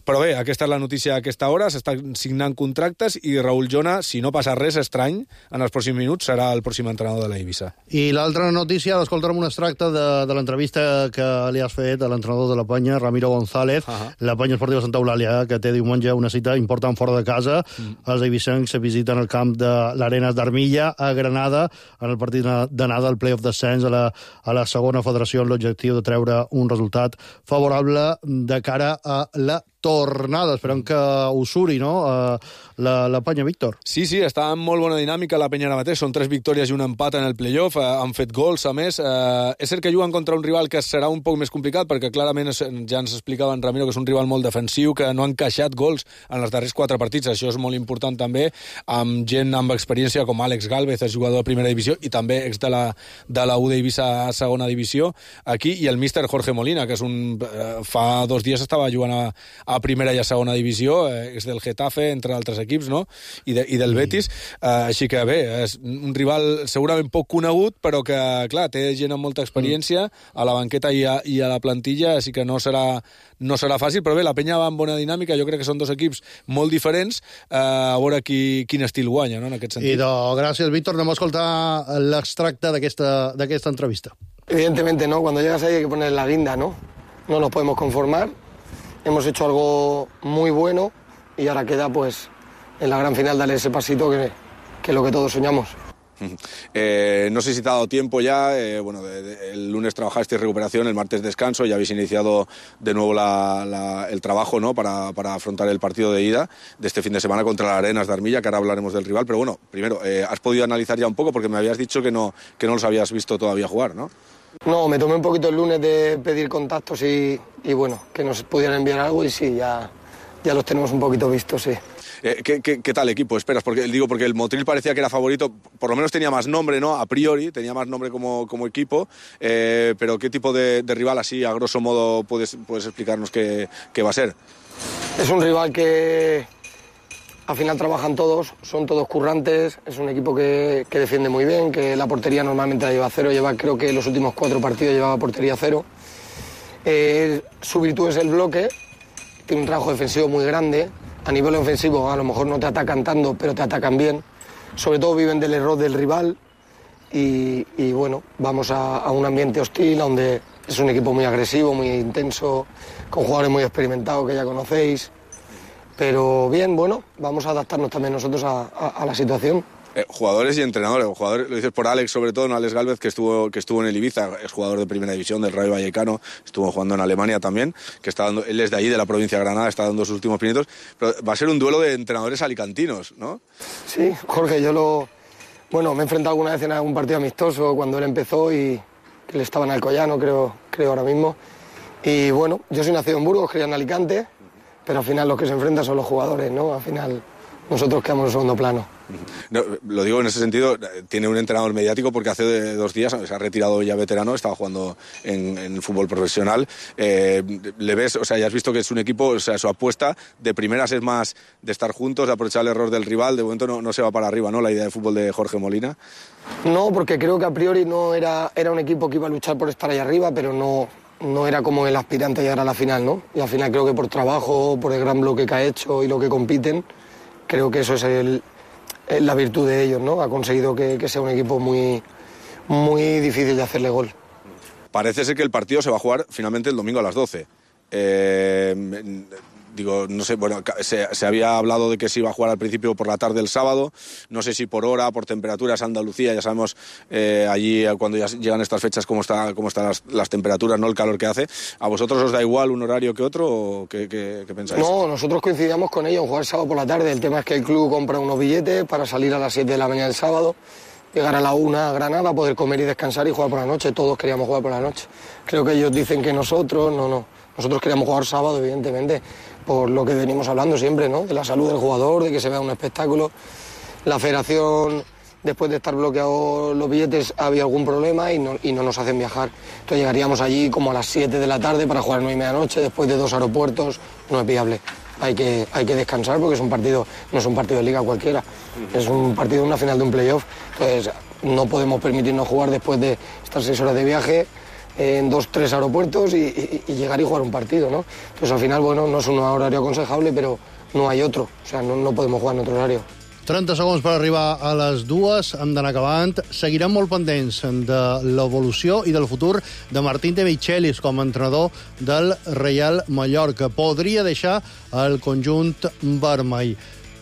però bé, aquesta és la notícia a aquesta hora, s'estan signant contractes i Raúl Llona, si no passa res estrany, en els pròxims minuts serà el pròxim entrenador de la Eivissa. I l'altra notícia, l'escoltarem un extracte de, de l'entrevista que li has fet a l'entrenador de la Penya, Ramiro González. Uh -huh. La Penya Esportiva Santa Eulàlia, que té diumenge una cita important fora de casa. Mm. Els eivissencs se visiten el camp de l'Arenas d'Armilla a Granada en el partit d'anada al play-off descens a la, a la segona federació amb l'objectiu de treure un resultat favorable de cara a la tornada. Esperem que us suri, no?, uh, la, la Penya, Víctor. Sí, sí, està en molt bona dinàmica la Penya ara mateix. Són tres victòries i un empat en el playoff. Uh, han fet gols, a més. Uh, és cert que juguen contra un rival que serà un poc més complicat, perquè clarament és, ja ens explicava en Ramiro que és un rival molt defensiu, que no han encaixat gols en els darrers quatre partits. Això és molt important també, amb gent amb experiència com Àlex Gálvez, és jugador de primera divisió, i també ex de la, de la U D Eivissa a segona divisió, aquí, i el míster Jorge Molina, que és un, uh, fa dos dies estava jugant a, a primera i a segona divisió, eh, és del Getafe, entre altres equips, no?, i, de, i del Betis, eh, així que bé, és un rival segurament poc conegut, però que, clar, té gent amb molta experiència a la banqueta i a, i a la plantilla, així que no serà, no serà fàcil, però bé, la Penya va amb bona dinàmica, jo crec que són dos equips molt diferents, eh, a veure qui, quin estil guanya, no?, en aquest sentit. I de, gràcies, Víctor, anem a escoltar l'extracte d'aquesta d'aquesta entrevista. Evidentemente, ¿no?, cuando llegas ahí hay que poner la guinda, ¿no? No nos podemos conformar. Hemos hecho algo muy bueno y ahora queda, pues, en la gran final darle ese pasito que, que es lo que todos soñamos. Eh, no sé si te ha dado tiempo ya, eh, bueno, de, de, el lunes trabajasteis recuperación, el martes descanso, ya habéis iniciado de nuevo la, la, el trabajo, ¿no?, para, para afrontar el partido de ida de este fin de semana contra la Arenas de Armilla, que ahora hablaremos del rival, pero bueno, primero, eh, has podido analizar ya un poco, porque me habías dicho que no, que no los habías visto todavía jugar, ¿no? No, me tomé un poquito el lunes de pedir contactos y, y bueno, que nos pudieran enviar algo y sí, ya, ya los tenemos un poquito vistos, sí. Eh, ¿qué, qué, ¿Qué tal equipo esperas? Porque digo, porque el Motril parecía que era favorito, por lo menos tenía más nombre, ¿no? A priori, tenía más nombre como, como equipo, eh, pero ¿qué tipo de, de rival así, a grosso modo, puedes, puedes explicarnos qué, qué va a ser? Es un rival que al final trabajan todos, son todos currantes, es un equipo que, que defiende muy bien, que la portería normalmente la lleva cero, lleva, creo que los últimos cuatro partidos llevaba portería cero. Eh, su virtud es el bloque, tiene un trabajo defensivo muy grande. A nivel ofensivo a lo mejor no te atacan tanto, pero te atacan bien. Sobre todo viven del error del rival y, y bueno, vamos a, a un ambiente hostil donde es un equipo muy agresivo, muy intenso, con jugadores muy experimentados que ya conocéis. Pero bien, bueno, vamos a adaptarnos también nosotros a, a, a la situación. Eh, jugadores y entrenadores. Jugadores, lo dices por Alex, sobre todo, ¿no? Alex Gálvez, que estuvo, que estuvo en el Ibiza, es jugador de primera división del Rayo Vallecano, estuvo jugando en Alemania también, que está dando, él es de ahí, de la provincia de Granada, está dando sus últimos pinitos, pero va a ser un duelo de entrenadores alicantinos, ¿no? Sí, Jorge, yo lo... Bueno, me he enfrentado alguna vez en algún partido amistoso cuando él empezó y que le estaba en Alcoyano, creo, creo ahora mismo. Y bueno, yo soy nacido en Burgos, criado en Alicante, pero al final los que se enfrentan son los jugadores, ¿no? Al final nosotros quedamos en segundo plano. No, lo digo en ese sentido, tiene un entrenador mediático porque hace dos días se ha retirado ya veterano, estaba jugando en, en fútbol profesional. Eh, le ves, o sea, ya has visto que es un equipo, o sea, su apuesta de primeras es más de estar juntos, de aprovechar el error del rival. De momento no, no se va para arriba, ¿no? La idea de fútbol de Jorge Molina. No, porque creo que a priori no era, era un equipo que iba a luchar por estar ahí arriba, pero no, no era como el aspirante a llegar a la final, ¿no? Y al final creo que por trabajo, por el gran bloque que ha hecho y lo que compiten, creo que eso es el... la virtud de ellos, ¿no? Ha conseguido que, que sea un equipo muy, muy difícil de hacerle gol. Parece ser que el partido se va a jugar finalmente el domingo a las doce. Eh, digo, no sé, bueno, se, se había hablado de que se iba a jugar al principio por la tarde el sábado, no sé si por hora, por temperaturas, Andalucía, ya sabemos eh, allí cuando ya llegan estas fechas cómo está, cómo están las, las temperaturas, ¿no? El calor que hace. ¿A vosotros os da igual un horario que otro o qué, qué, qué pensáis? No, nosotros coincidíamos con ellos en jugar sábado por la tarde. El tema es que el club compra unos billetes para salir a las siete de la mañana el sábado, llegar a la una a Granada, poder comer y descansar y jugar por la noche. Todos queríamos jugar por la noche. Creo que ellos dicen que nosotros, no, no. Nosotros queríamos jugar sábado, evidentemente, por lo que venimos hablando siempre, ¿no? De la salud del jugador, de que se vea un espectáculo. La federación, después de estar bloqueados los billetes, había algún problema y no, y no nos hacen viajar. Entonces llegaríamos allí como a las siete de la tarde para jugar a nueve y media noche, después de dos aeropuertos. No es viable. Hay que, hay que descansar porque es un partido, no es un partido de liga cualquiera. Es un partido, una final de un playoff. Entonces no podemos permitirnos jugar después de estas seis horas de viaje en dos, tres aeropuertos y, y, y llegar y jugar un partido, ¿no? Entonces al final, bueno, no es un horario aconsejable, pero no hay otro. O sea, no, no podemos jugar en otro horario. trenta segons per arribar a les dues, hem d'anar acabant. Seguirem molt pendents de l'evolució i del futur de Martín de Michelis com a entrenador del Real Mallorca. Podria deixar el conjunt vermell.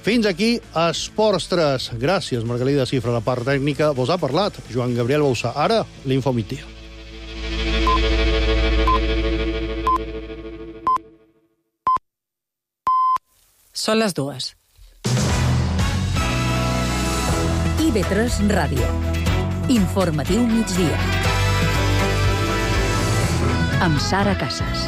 Fins aquí, Esports tres. Gràcies, Margalida Cifra, la part tècnica. Vos ha parlat Joan Gabriel Bauzà. Ara, l'Info Migdia. Són les dues. I B tres Ràdio. Informatiu migdia. Amb Sara Casas.